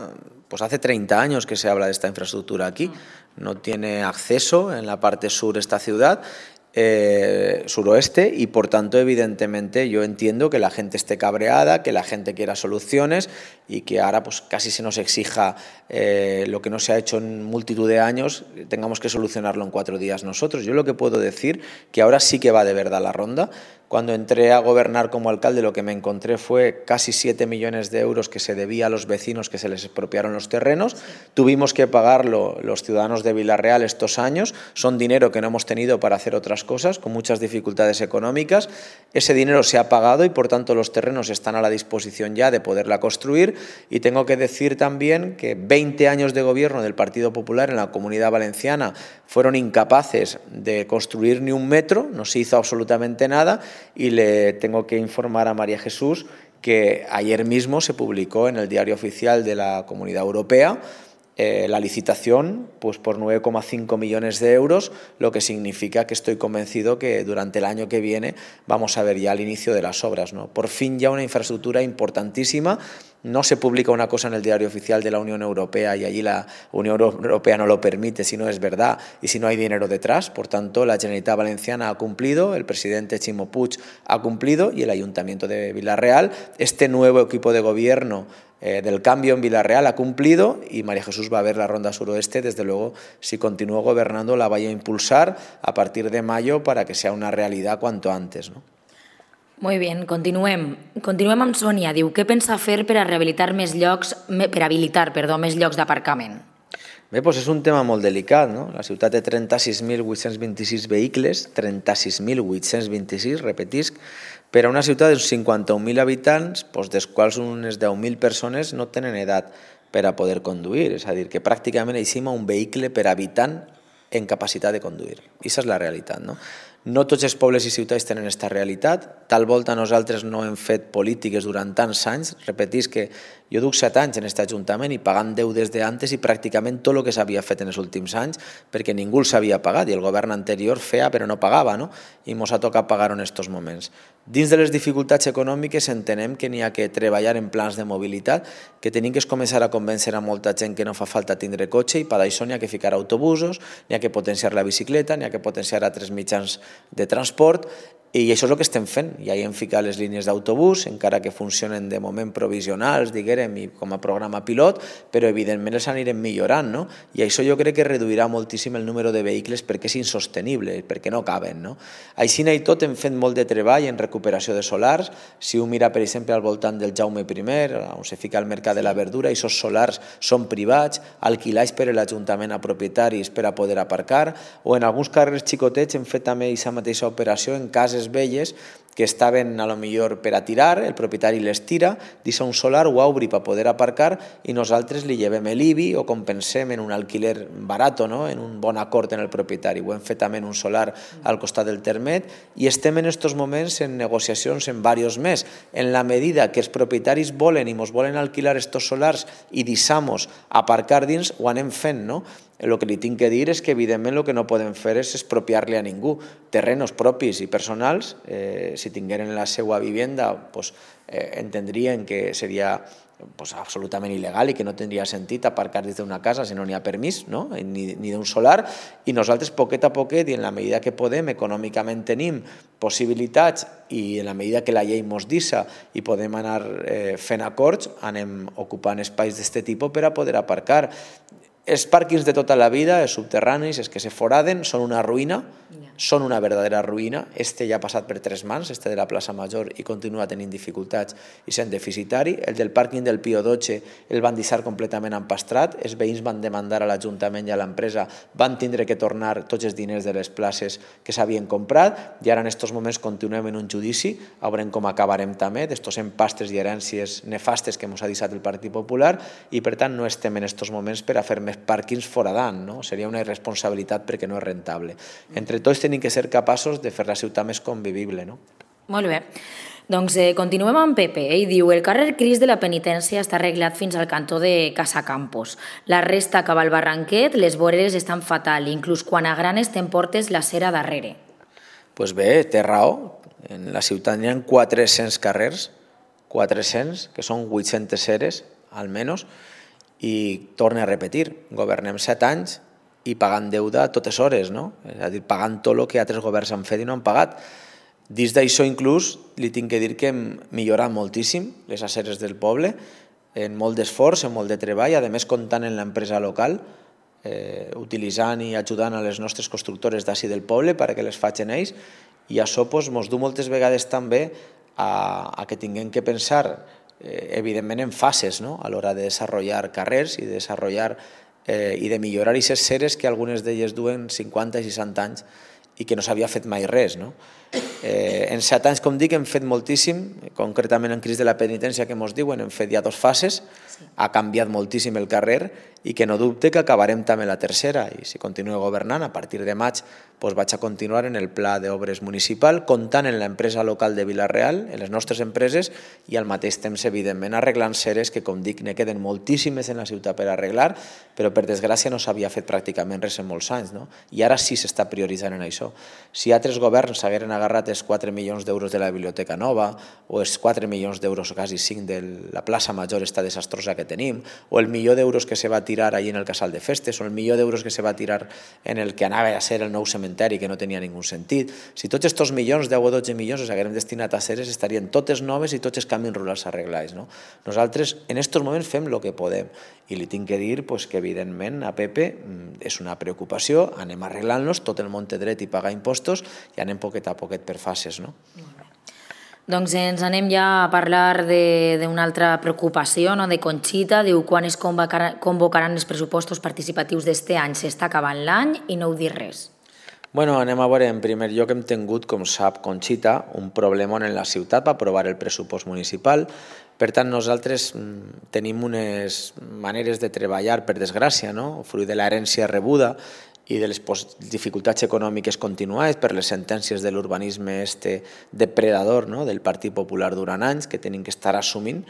pues hace treinta años que se habla de esta infraestructura aquí, no tiene acceso en la parte sur de esta ciudad, Eh, suroeste, y por tanto evidentemente yo entiendo que la gente esté cabreada, que la gente quiera soluciones, y que ahora pues casi se nos exija eh, lo que no se ha hecho en multitud de años, tengamos que solucionarlo en cuatro días nosotros. Yo lo que puedo decir que ahora sí que va de verdad la ronda. Cuando entré a gobernar como alcalde, lo que me encontré fue casi siete millones de euros que se debía a los vecinos que se les expropiaron los terrenos. Tuvimos que pagarlo los ciudadanos de Vila-real estos años. Son dinero que no hemos tenido para hacer otras cosas, con muchas dificultades económicas. Ese dinero se ha pagado y por tanto los terrenos están a la disposición ya de poderla construir. Y tengo que decir también que veinte años de gobierno del Partido Popular en la Comunidad Valenciana fueron incapaces de construir ni un metro, no se hizo absolutamente nada. Y le tengo que informar a María Jesús que ayer mismo se publicó en el Diario Oficial de la Comunidad Europea eh, la licitación pues por nueve coma cinco millones de euros, lo que significa que estoy convencido que durante el año que viene vamos a ver ya el inicio de las obras, ¿no? Por fin ya una infraestructura importantísima. No se publica una cosa en el Diario Oficial de la Unión Europea y allí la Unión Europea no lo permite si no es verdad y si no hay dinero detrás. Por tanto, la Generalitat Valenciana ha cumplido, el presidente Ximo Puig ha cumplido y el Ayuntamiento de Vila-real. Este nuevo equipo de gobierno eh, del cambio en Vila-real ha cumplido y María Jesús va a ver la ronda suroeste. Desde luego, si continúa gobernando, la vaya a impulsar a partir de mayo para que sea una realidad cuanto antes, ¿no? Molt bé, continuem. Continuem amb Sònia. Diu, què pensa fer per a rehabilitar més llocs, per habilitar, perdó, més llocs d'aparcament? Bé, doncs és un tema molt delicat, no? La ciutat té trenta-sis mil vuit-cents vint-i-sis vehicles, trenta-sis mil vuit-cents vint-i-sis, repetisc, per a una ciutat d'uns cinquanta-un mil habitants, dels quals unes deu mil persones no tenen edat per a poder conduir, és a dir, que pràcticament eixim a un vehicle per habitant en capacitat de conduir. Aquesta és la realitat, no? No tots els pobles i ciutats tenen aquesta realitat, tal volta nosaltres no hem fet polítiques durant tants anys, repetís que jo duc set anys en aquest Ajuntament i pagant deu des d'antes i pràcticament tot el que s'havia fet en els últims anys perquè ningú els havia pagat i el govern anterior feia però no pagava, no? I ens ha tocat pagar-ho en aquests moments. Dins de les dificultats econòmiques entenem que n'hi ha que treballar en plans de mobilitat, que tenim que començar a convèncer a molta gent que no fa falta tindre cotxe i per això n'hi ha que ficar autobusos, n'hi ha que potenciar la bicicleta, n'hi ha que potenciar altres mitjans de transport i això és el que estem fent. Ja hi hem ficat les línies d'autobús, encara que funcionen de moment provisionals, diguem, i com a programa pilot, però evidentment els anirem millorant, no? I això jo crec que reduirà moltíssim el número de vehicles perquè és insostenible, perquè no caben, no? Així i tot hem fet molt de treball en recuperació de solars. Si un mira, per exemple, al voltant del Jaume primer, on se fica el mercat de la verdura, i aquests solars són privats, alquilats per l'Ajuntament a propietaris per a poder aparcar, o en alguns carrers xicotets hem fet també aquesta mateixa operació en cases velles que estaven a lo millor per a tirar, el propietari les tira, deixa un solar, ho obri per poder aparcar i nosaltres li llevem l'I B I o compensem en un alquiler barat, no? En un bon acord en el propietari. Ho hem fet també en un solar al costat del Termet i estem en aquests moments en negociacions en diversos més. En la medida que els propietaris volen i ens volen alquilar aquests solars i deixamos aparcar dins, ho anem fent, no? El que li tinc que dir és que evidentment el que no podem fer és expropiar-li a ningú. Terrenos propis i personals, eh, si tingueren la seva vivenda, pues, eh, entendrien que seria pues, absolutament il·legal i que no tindria sentit aparcar des d'una casa si no n'hi ha permís, no? ni, ni d'un solar, i nosaltres poquet a poquet i en la medida que podem, econòmicament tenim possibilitats i en la medida que la llei mos deixa i podem anar eh, fent acords, anem ocupant espais d'aquest tipus per a poder aparcar. Els pàrquings de tota la vida, els subterranis, els que se foraden, són una ruïna, són una verdadera ruïna. Este ja ha passat per tres mans, este de la plaça Major, i continua tenint dificultats i sent deficitari. El del pàrquing del Pío dotze el van deixar completament empastrat, els veïns van demandar a l'Ajuntament i a l'empresa, van tindre que tornar tots els diners de les places que s'havien comprat i ara en aquests moments continuem en un judici, veurem com acabarem també d'estos empastres i herències nefastes que ens ha deixat el Partit Popular i per tant no estem en aquests moments per a fer més pàrquings foradant, no? Seria una irresponsabilitat perquè no és rentable. Entre tots tenim que ser capaços de fer la ciutat més convivible, no? Molt bé. Doncs eh, continuem amb Pepe. Ell diu, el carrer Cris de la Penitència està arreglat fins al cantó de Casa Campos. La resta acaba al Barranquet, les voreres estan fatal, inclús quan a Granes t'emportes la cera darrere. Doncs pues bé, té raó. En la ciutat hi ha quatre-cents carrers, quatre-cents, que són vuit-centes ceres, almenys, i torna a repetir, governem set anys i pagant deuda a totes hores, no? És a dir, pagant tot el que altres governs han fet i no han pagat. Dins d'això inclús li tinc que dir que hem millorat moltíssim les aceres del poble, en molt d'esforç, en molt de treball, a més comptant en l'empresa local, eh, utilitzant i ajudant a les nostres constructores d'ací del poble perquè les facin ells, i això ens pues, du moltes vegades també a, a que tinguem que pensar evidentment en fases, no? A l'hora de desenvolupar carrers i de desenvolupar eh, i de millorar aquestes ceres que algunes d'elles duen cinquanta i seixanta anys i que no s'havia fet mai res, no? Eh, en set anys, com dic, hem fet moltíssim, concretament en Cris de la Penitència, que ens diuen, hem fet ja dues fases, ha canviat moltíssim el carrer i que no dubte que acabarem també la tercera i si continuo governant, a partir de maig doncs vaig a continuar en el pla d'obres municipal, comptant en l'empresa local de Vila-real, en les nostres empreses i al mateix temps, evidentment, arreglant ceres que, com dic, ne queden moltíssimes en la ciutat per arreglar, però per desgràcia no s'havia fet pràcticament res en molts anys, no? I ara sí s'està prioritzant en això. Si altres governs s'hagueren agarrat els quatre milions d'euros de la biblioteca nova o els quatre milions d'euros o quasi cinc de la plaça Major esta desastrosa que tenim, o el milió d'euros que se va tirar allí en el casal de festes, o el milió d'euros que se va tirar en el que anava a ser el nou cementeri, que no tenia ningú sentit. Si tots aquests milions, deu o dotze milions, els haguérem destinat a ceres, estarien totes noves i tots els camins rurals arreglats, no? Nosaltres en aquests moments fem el que podem i li tinc que dir pues, que evidentment a Pepe és una preocupació, anem arreglant-los, tot el món té dret i pagar impostos i anem poquet a poquet per fases, no? Doncs ens anem ja a parlar d'una altra preocupació, no? De Conxita, diu quan es convocaran els pressupostos participatius d'este any, s'està acabant l'any i no heu dit res. Bueno, anem a veure, en primer lloc hem tingut, com sap Conxita, un problema en la ciutat per aprovar el pressupost municipal. Per tant, nosaltres tenim unes maneres de treballar, per desgràcia, no? Fruit de l'herència rebuda i de les dificultats econòmiques continuades per les sentències de l'urbanisme este depredador, no? Del Partit Popular durant anys, que tenim que estar assumint,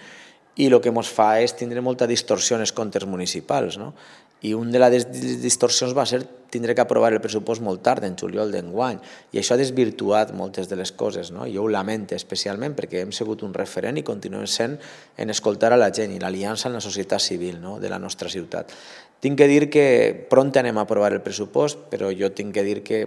i el que ens fa és tindre molta distorsió en els comptes municipals, no? I una de les distorsions va ser tindre que aprovar el pressupost molt tard, en juliol d'enguany, i això ha desvirtuat moltes de les coses, no? Jo ho lamento especialment perquè hem sigut un referent i continuem sent en escoltar a la gent i l'aliança en la societat civil, no? De la nostra ciutat. Tinc que dir que pront anem a aprovar el pressupost, però jo tinc que dir que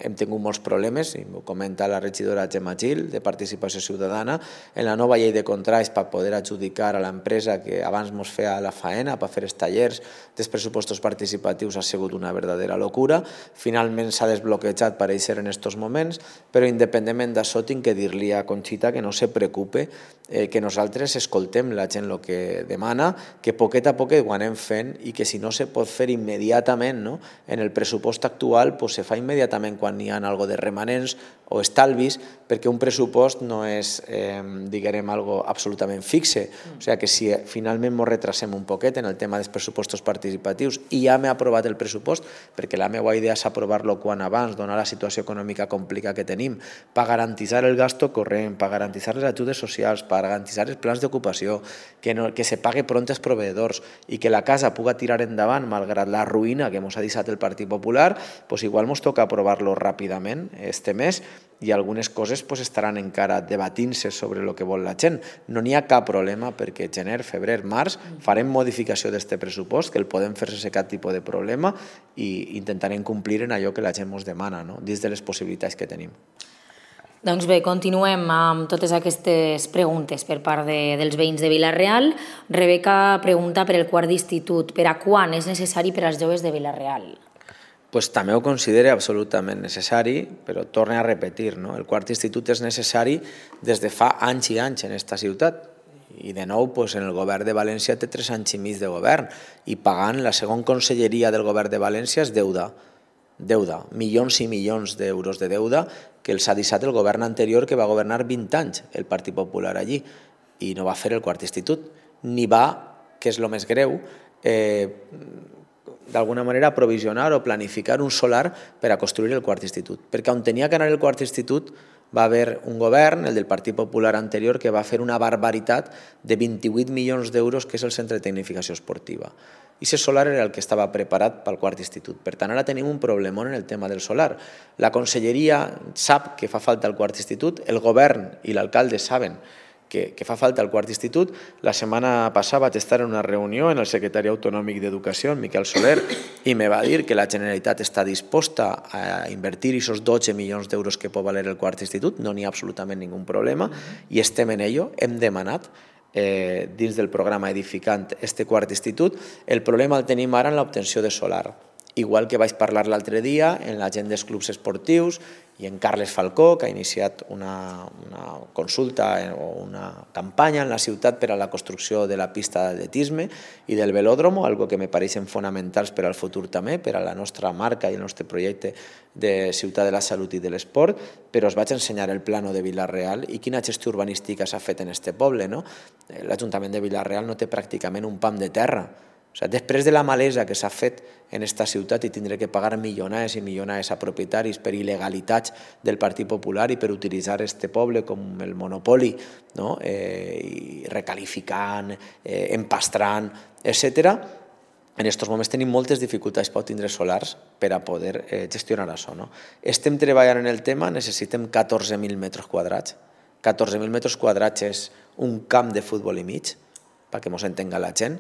hem tingut molts problemes, i m'ho comenta la regidora Gemma Gil, de Participació Ciutadana, en la nova llei de contractes per poder adjudicar a l'empresa que abans ens feia la faena per fer els tallers dels pressupostos participatius ha sigut una verdadera locura. Finalment s'ha desbloquejat, pareix ser en aquests moments, però independentment d'això tinc que dir-li a Conxita que no se preocupe, eh, que nosaltres escoltem la gent el que demana, que poquet a poquet ho anem fent i que si no se pot fer immediatament, no? En el pressupost actual pues, se fa immediatament quan hi ha algo de remanents o estalvis, perquè un pressupost no és, eh, diguem, algo absolutament fixe. O sigui que si finalment ens retrasem un poquet en el tema dels pressupostos participatius i ja m'he aprovat el pressupost, perquè la meva idea és aprovar-lo quan abans, donar la situació econòmica complicada que tenim, per garantir el gasto corrent, per garantir les ajudes socials, per garantir els plans d'ocupació, que, no, que se pague pront als proveïdors i que la casa puga tirar endavant malgrat la ruïna que ens ha deixat el Partit Popular, pues igual ens toca aprovar-lo ràpidament este mes i algunes coses pues, estaran encara debatint-se sobre el que vol la gent. No n'hi ha cap problema perquè gener, febrer, març farem modificació d'aquest pressupost, que el podem fer sense cap tipus de problema i intentarem complir en allò que la gent ens demana, no? Dins de les possibilitats que tenim. Doncs bé, continuem amb totes aquestes preguntes per part de, dels veïns de Vila-real. Rebeca pregunta per el quart d'institut. Per a quan és necessari per als joves de Vila-real? Pues també ho considero absolutament necessari, però torno a repetir, no? El quart institut és necessari des de fa anys i anys en aquesta ciutat. I de nou, pues, en el govern de València té tres anys i mig de govern i pagant la segona conselleria del govern de València és deuda. Deuda, milions i milions d'euros de deuda que els ha deixat el govern anterior que va governar vint anys el Partit Popular allí i no va fer el quart institut, ni va, que és el més greu, eh, d'alguna manera provisionar o planificar un solar per a construir el quart institut. Perquè on tenia que anar el quart institut va haver un govern, el del Partit Popular anterior, que va fer una barbaritat de vint-i-vuit milions d'euros, que és el Centre de Tecnificació Esportiva. I aquest solar era el que estava preparat pel quart institut. Per tant, ara tenim un problemó en el tema del solar. La conselleria sap que fa falta el quart institut, el govern i l'alcalde saben que, que fa falta el quart institut. La setmana passada vaig estar en una reunió en el secretari autonòmic d'Educació, en Miquel Soler, i me va dir que la Generalitat està disposta a invertir aquests dotze milions d'euros que pot valer el quart institut, no n'hi ha absolutament ningun problema, i estem en ello, hem demanat eh, dins del programa edificant este quart institut. El problema el tenim ara en l'obtenció de solar. Igual que vaig parlar l'altre dia en la gent dels clubs esportius i en Carles Falcó, que ha iniciat una, una consulta o una campanya en la ciutat per a la construcció de la pista d'atletisme i del velòdromo, algo que me pareixen fonamentals per al futur també, per a la nostra marca i el nostre projecte de Ciutat de la Salut i de l'Esport, però us vaig ensenyar el plano de Vila-real i quina gestió urbanística s'ha fet en este poble, no? L'Ajuntament de Vila-real no té pràcticament un pam de terra. O sigui, després de la malesa que s'ha fet en aquesta ciutat i tindré que pagar milionades i milionades a propietaris per il·legalitats del Partit Popular i per utilitzar este poble com el monopoli, no? eh, i recalificant, eh, empastrant, etcètera. En aquests moments tenim moltes dificultats per tindre solars per a poder eh, gestionar això. No? Estem treballant en el tema, necessitem catorze mil metres quadrats. catorze mil metres quadrats és un camp de futbol i mig, perquè ens entenga la gent,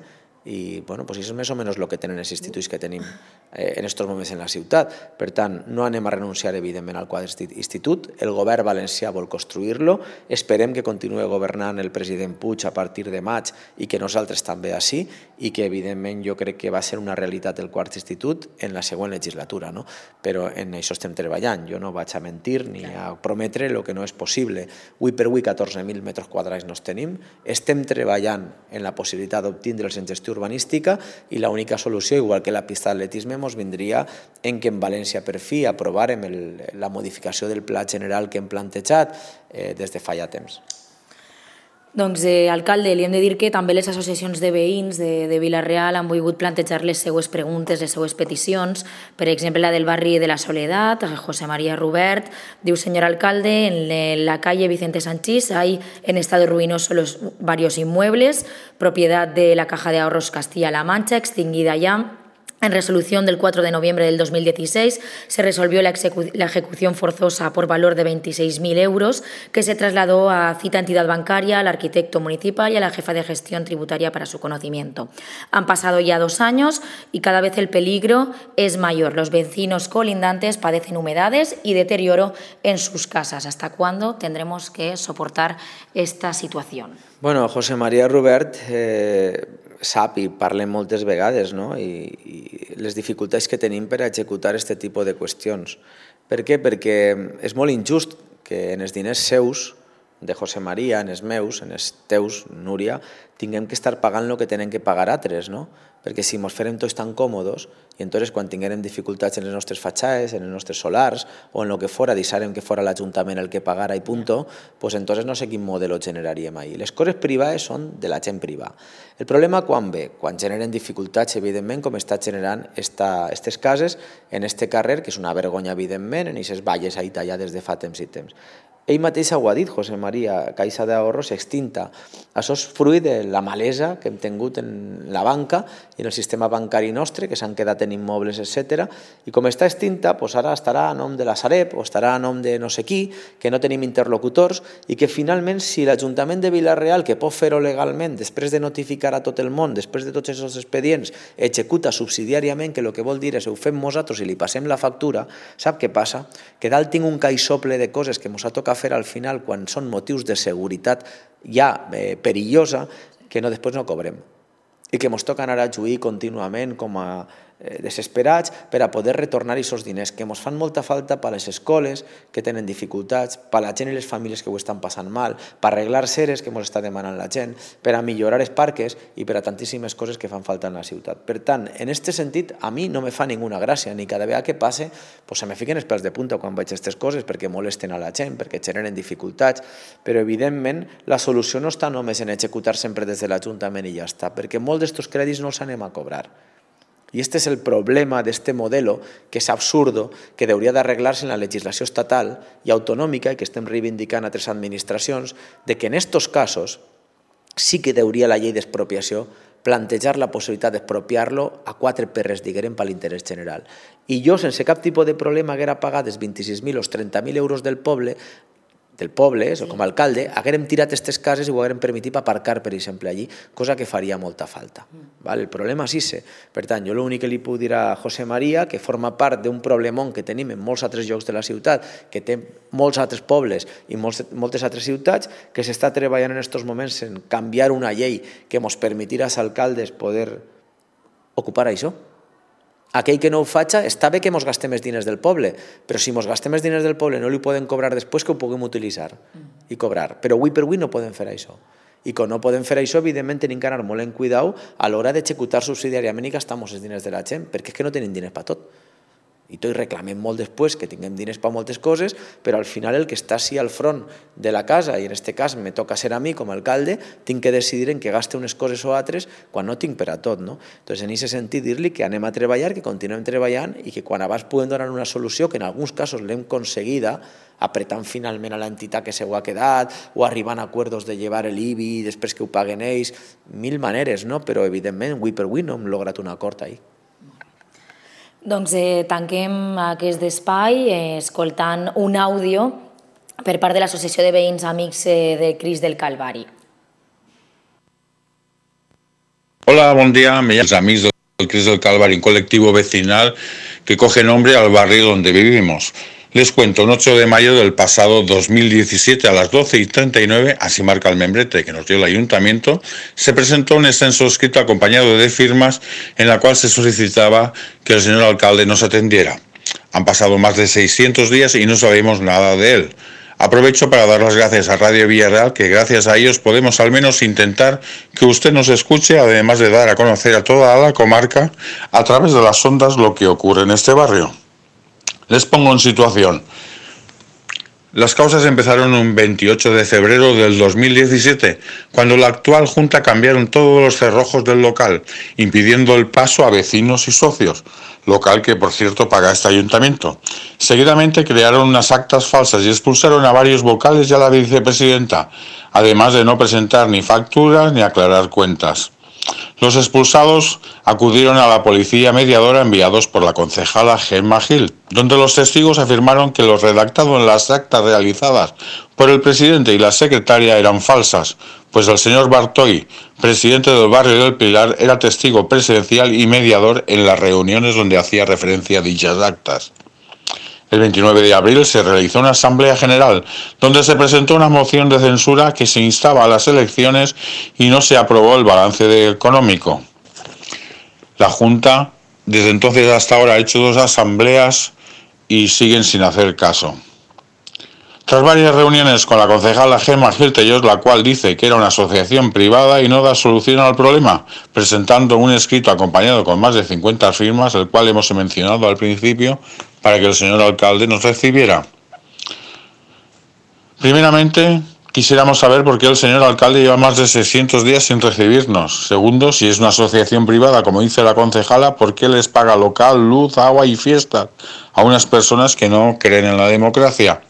i bueno, pues això és més o menys el que tenen els instituts que tenim eh, en aquests moments en la ciutat. Per tant, no anem a renunciar evidentment al quart institut, el govern valencià vol construir-lo, esperem que continuï governant el president Puig a partir de maig i que nosaltres també així, i que evidentment jo crec que va ser una realitat el quart institut en la següent legislatura, no? Però en això estem treballant, jo no vaig a mentir ni a prometre el que no és possible. Avui per avui catorze mil metres quadrats no els tenim, estem treballant en la possibilitat d'obtindre'ls en gestió urbanística i l'única solució, igual que la pista d'atletisme, ens vindria en que en València per fi aprovàrem el, la modificació del pla general que hem plantejat eh, des de fa ja temps. Doncs, eh, alcalde, li hem de dir que també les associacions de veïns de, de Vila-real han volgut plantejar les seues preguntes, les seues peticions. Per exemple, la del barri de la Soledat, José María Rubert, diu: señor alcalde, en la calle Vicente Sanchís hay en estado ruinoso los varios inmuebles, propiedad de la Caja de Ahorros Castilla-La Mancha, extinguida ya. En resolución del cuatro de noviembre del dos mil dieciséis se resolvió la, ejecu la ejecución forzosa por valor de veintiséis mil euros que se trasladó a cita entidad bancaria, al arquitecto municipal y a la jefa de gestión tributaria para su conocimiento. Han pasado ya dos años y cada vez el peligro es mayor. Los vecinos colindantes padecen humedades y deterioro en sus casas. ¿Hasta cuándo tendremos que soportar esta situación? Bueno, José María Rubert eh, sap i parlem moltes vegades, no? I, i les dificultats que tenim per executar aquest tipus de qüestions. Per què? Perquè és molt injust que en els diners seus, de José María, en els meus, en els teus, Núria, tinguem que estar pagant el que tenen que pagar altres, no? Perquè si ens farem tots tan còmodes i entonces quan tinguem dificultats en les nostres fatxades, en els nostres solars o en el que fora, deixarem que fora l'Ajuntament el que pagara i punto, pues entonces no sé quin model generaríem ahí. Les coses privades són de la gent privada. El problema quan ve? Quan generen dificultats, evidentment, com està generant aquestes cases en este carrer, que és una vergonya, evidentment, en aquestes valles ahí tallades de fa temps i temps. Ell mateix ho ha dit, José María, Caixa d'Ahorros extinta. Això és fruit de la malesa que hem tingut en la banca i en el sistema bancari nostre, que s'han quedat en immobles, etcètera. I com està extinta, doncs ara estarà a nom de la Sareb o estarà a nom de no sé qui, que no tenim interlocutors i que finalment, si l'Ajuntament de Vila-real, que pot fer-ho legalment, després de notificar a tot el món, després de tots aquests expedients, executa subsidiàriament, que el que vol dir és ho fem nosaltres i li passem la factura, sap què passa? Que dalt tinc un caixople de coses que ens ha tocat fer al final quan són motius de seguretat ja eh, perillosa que no, després no cobrem i que ens toca anar a juir contínuament com a eh, desesperats per a poder retornar aquests diners que ens fan molta falta per a les escoles que tenen dificultats, per a la gent i les famílies que ho estan passant mal, per arreglar seres que ens està demanant la gent, per a millorar els parques i per a tantíssimes coses que fan falta en la ciutat. Per tant, en aquest sentit, a mi no me fa ninguna gràcia, ni cada vegada que passe pues, se me fiquen els pèls de punta quan veig aquestes coses perquè molesten a la gent, perquè generen dificultats, però evidentment la solució no està només en executar sempre des de l'Ajuntament i ja està, perquè molts d'aquests crèdits no els anem a cobrar. I este és el problema d'este modelo, que és absurdo, que hauria d'arreglar-se en la legislació estatal i autonòmica, i que estem reivindicant a altres administracions, de que en estos casos sí que hauria la llei d'expropiació plantejar la possibilitat d'expropiar-lo a quatre perres, diguem, per l'interès general. I jo, sense cap tipus de problema, haguera pagat els vint-i-sis mil o els trenta mil euros del poble, del poble, o com a alcalde, haguérem tirat aquestes cases i ho haguérem permitit aparcar, per exemple, allí, cosa que faria molta falta. El problema és ese. Per tant, jo l'únic que li puc dir a José María, que forma part d'un problemón que tenim en molts altres llocs de la ciutat, que té molts altres pobles i moltes altres ciutats, que s'està treballant en aquests moments en canviar una llei que ens permetirà als alcaldes poder ocupar això. Aquell que no ho faci, està bé que ens gastem els diners del poble, però si ens gastem els diners del poble no li poden cobrar després, que ho puguem utilitzar i cobrar. Però avui per avui no podem fer això. I quan no podem fer això, evidentment, tenim que anar molt en cuidau a l'hora d'executar subsidiàriament i gastar els diners de la gent, perquè és que no tenim diners per tot. I tot reclamem molt després que tinguem diners per moltes coses, però al final el que està així al front de la casa, i en aquest cas me toca ser a mi com a alcalde, tinc que decidir en què gaste unes coses o altres quan no tinc per a tot. No? Doncs en aquest sentit dir-li que anem a treballar, que continuem treballant i que quan abans podem donar una solució, que en alguns casos l'hem aconseguida, apretant finalment a l'entitat que se ho ha quedat o arribant a acords de llevar l'I B I després que ho paguen ells, mil maneres, no? Però evidentment, avui per avui no hem lograt un acord ahí. Doncs eh, tanquem aquest espai eh, escoltant un àudio per part de l'Associació de Veïns Amics eh, de Crist del Calvari. Hola, buen día. Me llamo Amigos del Crist del Calvari, un colectivo vecinal que coge nombre al barrio donde vivimos. Les cuento, un ocho de mayo del pasado dos mil diecisiete a las doce y treinta y nueve, así marca el membrete que nos dio el ayuntamiento, se presentó un extenso escrito acompañado de firmas en la cual se solicitaba que el señor alcalde nos atendiera. Han pasado más de seiscientos días y no sabemos nada de él. Aprovecho para dar las gracias a Radio Villarreal, que gracias a ellos podemos al menos intentar que usted nos escuche, además de dar a conocer a toda la comarca a través de las ondas lo que ocurre en este barrio. Les pongo en situación. Las causas empezaron un veintiocho de febrero del dos mil diecisiete, cuando la actual Junta cambiaron todos los cerrojos del local, impidiendo el paso a vecinos y socios, local que por cierto paga este ayuntamiento. Seguidamente crearon unas actas falsas y expulsaron a varios vocales y a la vicepresidenta, además de no presentar ni facturas ni aclarar cuentas. Los expulsados acudieron a la policía mediadora enviados por la concejala Gemma Gil, donde los testigos afirmaron que lo redactado en las actas realizadas por el presidente y la secretaria eran falsas, pues el señor Bartoy, presidente del barrio del Pilar, era testigo presencial y mediador en las reuniones donde hacía referencia a dichas actas. El veintinueve de abril se realizó una asamblea general donde se presentó una moción de censura que se instaba a las elecciones y no se aprobó el balance económico. La Junta desde entonces hasta ahora ha hecho dos asambleas y siguen sin hacer caso. Tras varias reuniones con la concejala Gemma Gil Tellós, la cual dice que era una asociación privada y no da solución al problema, presentando un escrito acompañado con más de cincuenta firmas, el cual hemos mencionado al principio, para que el señor alcalde nos recibiera. Primeramente, quisiéramos saber por qué el señor alcalde lleva más de seiscientos días sin recibirnos. Segundo, si es una asociación privada, como dice la concejala, ¿por qué les paga local, luz, agua y fiestas a unas personas que no creen en la democracia?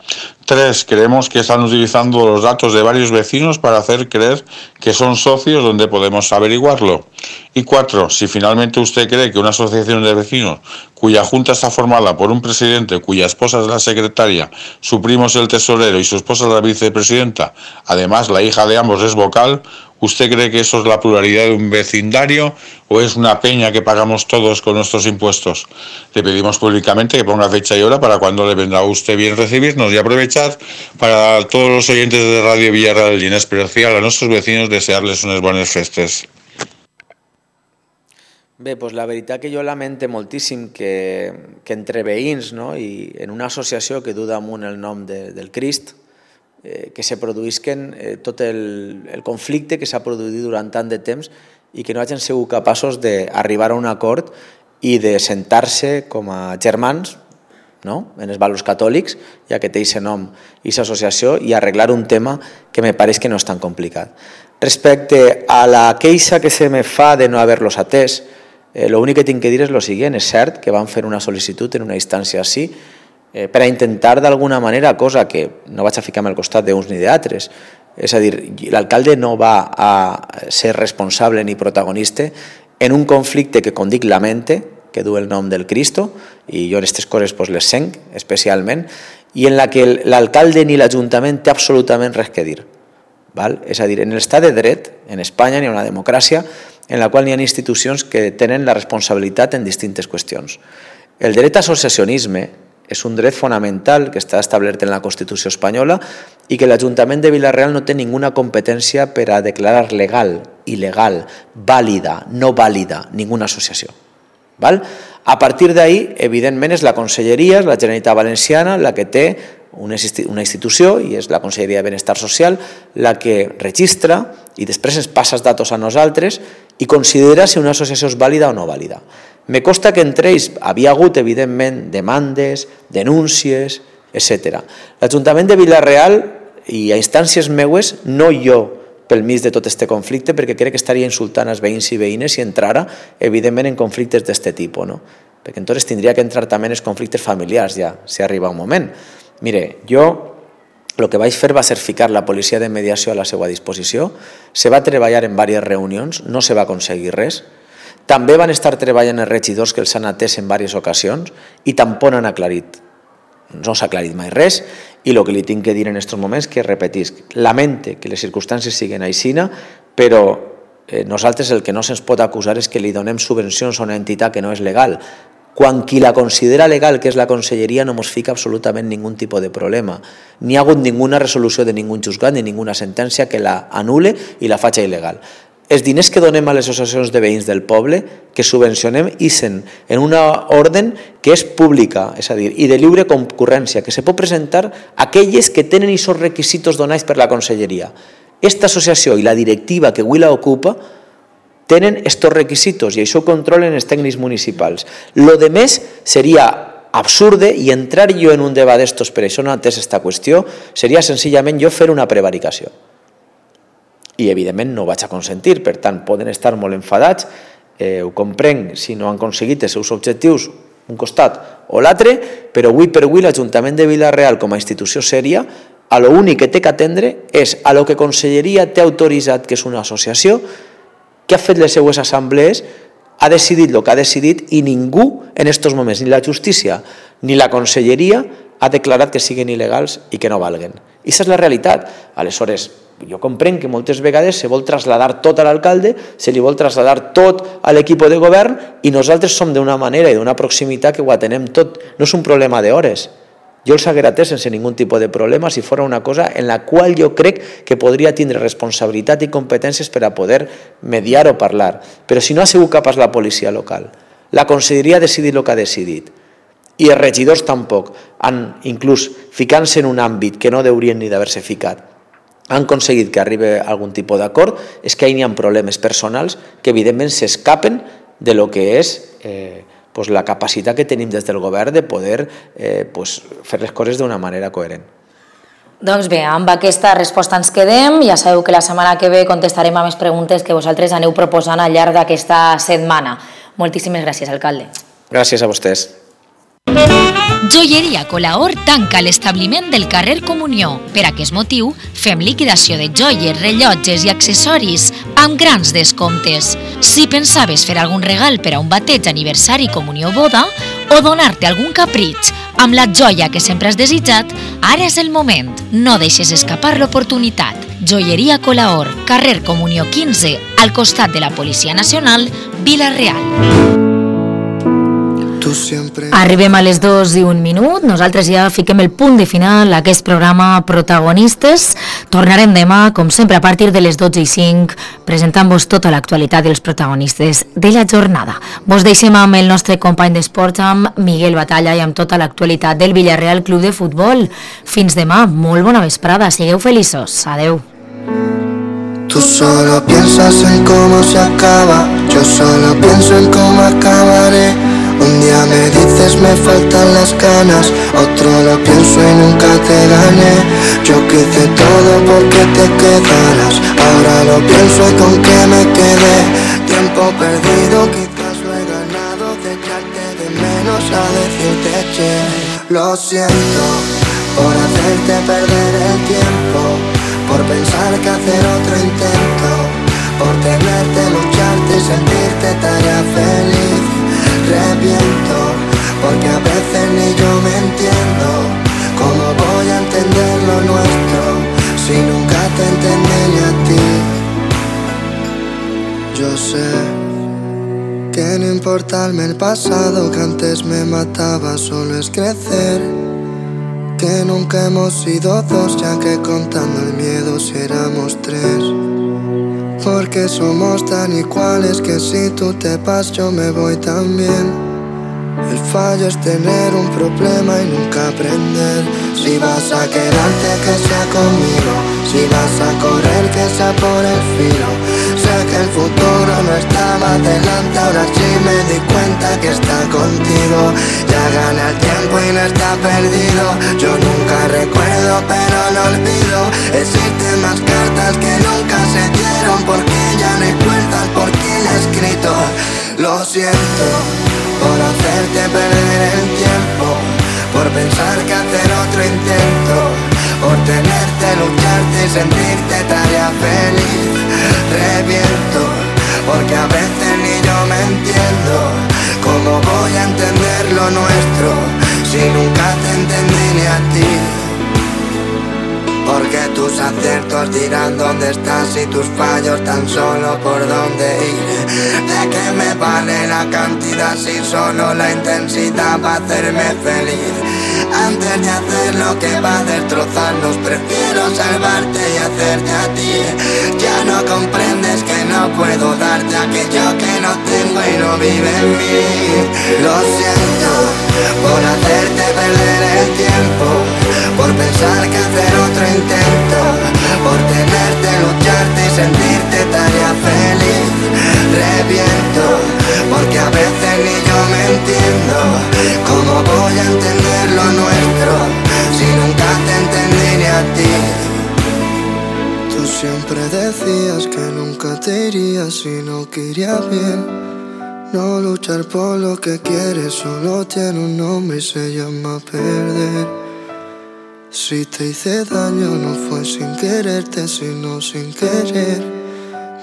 Tres, creemos que están utilizando los datos de varios vecinos para hacer creer que son socios, donde podemos averiguarlo. Y cuatro, si finalmente usted cree que una asociación de vecinos cuya junta está formada por un presidente cuya esposa es la secretaria, su primo es el tesorero y su esposa es la vicepresidenta, además la hija de ambos es vocal, ¿usted cree que eso es la pluralidad de un vecindario o es una peña que pagamos todos con nuestros impuestos? Le pedimos públicamente que ponga fecha y hora para cuando le vendrá a usted bien recibirnos, y aprovechar para todos los oyentes de Radio Villarreal y en especial a nuestros vecinos desearles unes bones festes. Bé, doncs la veritat que jo lamente moltíssim que, que entre veïns, no, i en una associació que du damunt el nom de, del Crist, eh, que se produïsquen eh, tot el, el conflicte que s'ha produït durant tant de temps i que no hagin sigut capaços d'arribar a un acord i de sentar-se com a germans, no?, en els valors catòlics, ja que té aquest nom i aquesta associació, i arreglar un tema que me pareix que no és tan complicat. Respecte a la queixa que se me fa de no haver-los atès, Eh, l'únic que tinc que dir és el següent. És cert que van fer una sol·licitud en una instància així eh, per a intentar d'alguna manera, cosa que no vaig a ficar-me al costat d'uns ni d'altres, és a dir, l'alcalde no va a ser responsable ni protagonista en un conflicte que, com dic, lamente, que du el nom del Cristo, i jo en aquestes coses pues, les senc especialment, i en la que l'alcalde ni l'Ajuntament té absolutament res que dir. Val? És a dir, en l'estat de dret, en Espanya, hi ha una democràcia en la qual hi ha institucions que tenen la responsabilitat en distintes qüestions. El dret a associacionisme és un dret fonamental que està establert en la Constitució espanyola i que l'Ajuntament de Vila-real no té ninguna competència per a declarar legal, il·legal, vàlida, no vàlida, ninguna associació. Val? A partir d'ahí, evidentment, és la Conselleria, és la Generalitat Valenciana, la que té una institució, i és la Conselleria de Benestar Social, la que registra i després ens passa els datos a nosaltres i considera si una associació és vàlida o no vàlida. Me consta que entre ells havia hagut, evidentment, demandes, denúncies, etcètera. L'Ajuntament de Vila-real, i a instàncies meues, no jo pel mig de tot aquest conflicte, perquè crec que estaria insultant els veïns i veïnes si entrara, evidentment, en conflictes d'aquest tipus, no? Perquè entonces tindria que entrar també en els conflictes familiars, ja, si arriba un moment. Mire, jo el que vaig fer va ser ficar la policia de mediació a la seva disposició, se va treballar en diverses reunions, no se va aconseguir res, també van estar treballant els regidors que els han atès en diverses ocasions i tampoc han aclarit, no s'ha aclarit mai res, i el que li tinc que dir en aquests moments que repetisc, lamente que les circumstàncies siguin aixina, però eh, nosaltres el que no se'ns pot acusar és que li donem subvencions a una entitat que no és legal, quan qui la considera legal, que és la Conselleria, no ens fica absolutament ningun tipus de problema. Ni ha hagut ninguna resolució de ningun juzgat ni ninguna sentència que la anul·le i la faci il·legal. els diners que donem a les associacions de veïns del poble, que subvencionem, ixen en una ordre que és pública, és a dir, i de lliure concurrència, que se pot presentar aquelles que tenen aquests requisits donats per la Conselleria. Esta associació i la directiva que avui la ocupa tenen aquests requisits i això ho controlen els tècnics municipals. Lo de més seria absurde i entrar jo en un debat d'estos, per això no he entès aquesta qüestió, seria senzillament jo fer una prevaricació. I evidentment no ho vaig a consentir, per tant poden estar molt enfadats, eh, ho comprenc si no han aconseguit els seus objectius un costat o l'altre, però avui per avui l'Ajuntament de Vila-real com a institució sèria, a l'únic que té que atendre és a lo que Conselleria té autoritzat, que és una associació que ha fet les seues assemblees, ha decidit el que ha decidit i ningú en aquests moments, ni la justícia ni la Conselleria, ha declarat que siguin il·legals i que no valguen. I aquesta és la realitat. Aleshores, jo comprenc que moltes vegades se vol traslladar tot a l'alcalde, se li vol traslladar tot a l'equip de govern i nosaltres som d'una manera i d'una proximitat que ho atenem tot. No és un problema d'hores. Jo els haguera atès sense ningun tipus de problema si fos una cosa en la qual jo crec que podria tindre responsabilitat i competències per a poder mediar o parlar. Però si no ha sigut capaç la policia local, la Conselleria ha decidit el que ha decidit i els regidors tampoc han, inclús ficant-se en un àmbit que no deurien ni d'haver-se ficat, han aconseguit que arribi a algun tipus d'acord, és que hi ha problemes personals que evidentment s'escapen de lo que és eh, pues la capacitat que tenim des del govern de poder eh, pues fer les coses d'una manera coherent. Doncs bé, amb aquesta resposta ens quedem. Ja sabeu que la setmana que ve contestarem a més preguntes que vosaltres aneu proposant al llarg d'aquesta setmana. Moltíssimes gràcies, alcalde. Gràcies a vostès. Joieria Colaor tanca l'establiment del carrer Comunió. Per aquest motiu, fem liquidació de joies, rellotges i accessoris amb grans descomptes. Si pensaves fer algun regal per a un bateig, aniversari, comunió o boda, o donar-te algun capritx amb la joia que sempre has desitjat, ara és el moment. No deixes escapar l'oportunitat. Joieria Colaor, carrer Comunió quinze, al costat de la Policia Nacional, Vila-real. Arribem a les dues i un minut, nosaltres ja fiquem el punt de final a aquest programa Protagonistes. Tornarem demà, com sempre, a partir de les dotze i cinc, presentant-vos tota l'actualitat dels protagonistes de la jornada. Vos deixem amb el nostre company d'esports, amb Miguel Batalla, i amb tota l'actualitat del Villarreal Club de Futbol. Fins demà, molt bona vesprada, sigueu feliços, adeu. Tú solo piensas en cómo se acaba, yo solo pienso en cómo acabaré. Un día me dices me faltan las ganas, otro lo pienso y nunca te gané. Yo que hice todo porque te quedaras, ahora lo pienso y con qué me quedé. Tiempo perdido, quizás lo he ganado, de echarte de menos a decirte che. Lo siento por hacerte perder el tiempo, por pensar que hacer otro intento, por tenerte, lucharte y sentirte tarea feliz. Reviento, porque a veces ni yo me entiendo. ¿Cómo voy a entender lo nuestro si nunca te entendí ni a ti? Yo sé que no importarme el pasado que antes me mataba, solo es crecer. Que nunca hemos sido dos, ya que contando el miedo si éramos tres. Porque somos tan iguales que si tú te vas yo me voy también. El fallo es tener un problema y nunca aprender. Si vas a quedarte que sea conmigo, si vas a correr que sea por el filo. Sé que el futuro no estaba delante, ahora sí me di cuenta que está contigo. Ya gana el tiempo y no está perdido. Yo nunca recuerdo pero no olvido. Existen más cartas que nunca se dieron, porque ya no hay fuerzas por quien he escrito. Lo siento por hacerte perder el tiempo, por pensar que hacer otro intento, por tenerte, lucharte y sentirte tarea feliz. Reviento, porque a veces ni yo me entiendo. ¿Cómo voy a entender lo nuestro si nunca te entendí ni a ti? Porque tus aciertos dirán dónde estás y tus fallos tan solo por dónde ir. ¿De qué me vale la cantidad vida si solo la intensidad va a hacerme feliz? Antes de hacer lo que va a destrozarnos, prefiero salvarte y hacerte a ti. Ya no comprendes que no puedo darte aquello que no tengo y no vive en mí. Lo siento por hacerte perder el tiempo, por pensar que hacer otro intento, por tenerte, lucharte y sentirte tarea feliz. Reviento, porque a veces ni yo me entiendo. ¿Cómo voy a entender lo nuestro si nunca te entendí ni a ti? Tú siempre decías que nunca te irías si no quería bien. No luchar por lo que quieres solo tiene un nombre y se llama perder. Si te hice daño no fue sin quererte sino sin querer.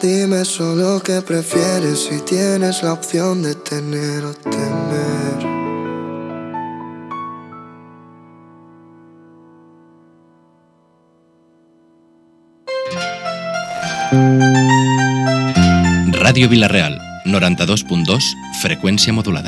Dime solo qué prefieres si tienes la opción de tener o temer. Ràdio Vila-real, noranta-dos punt dos, freqüència modulada.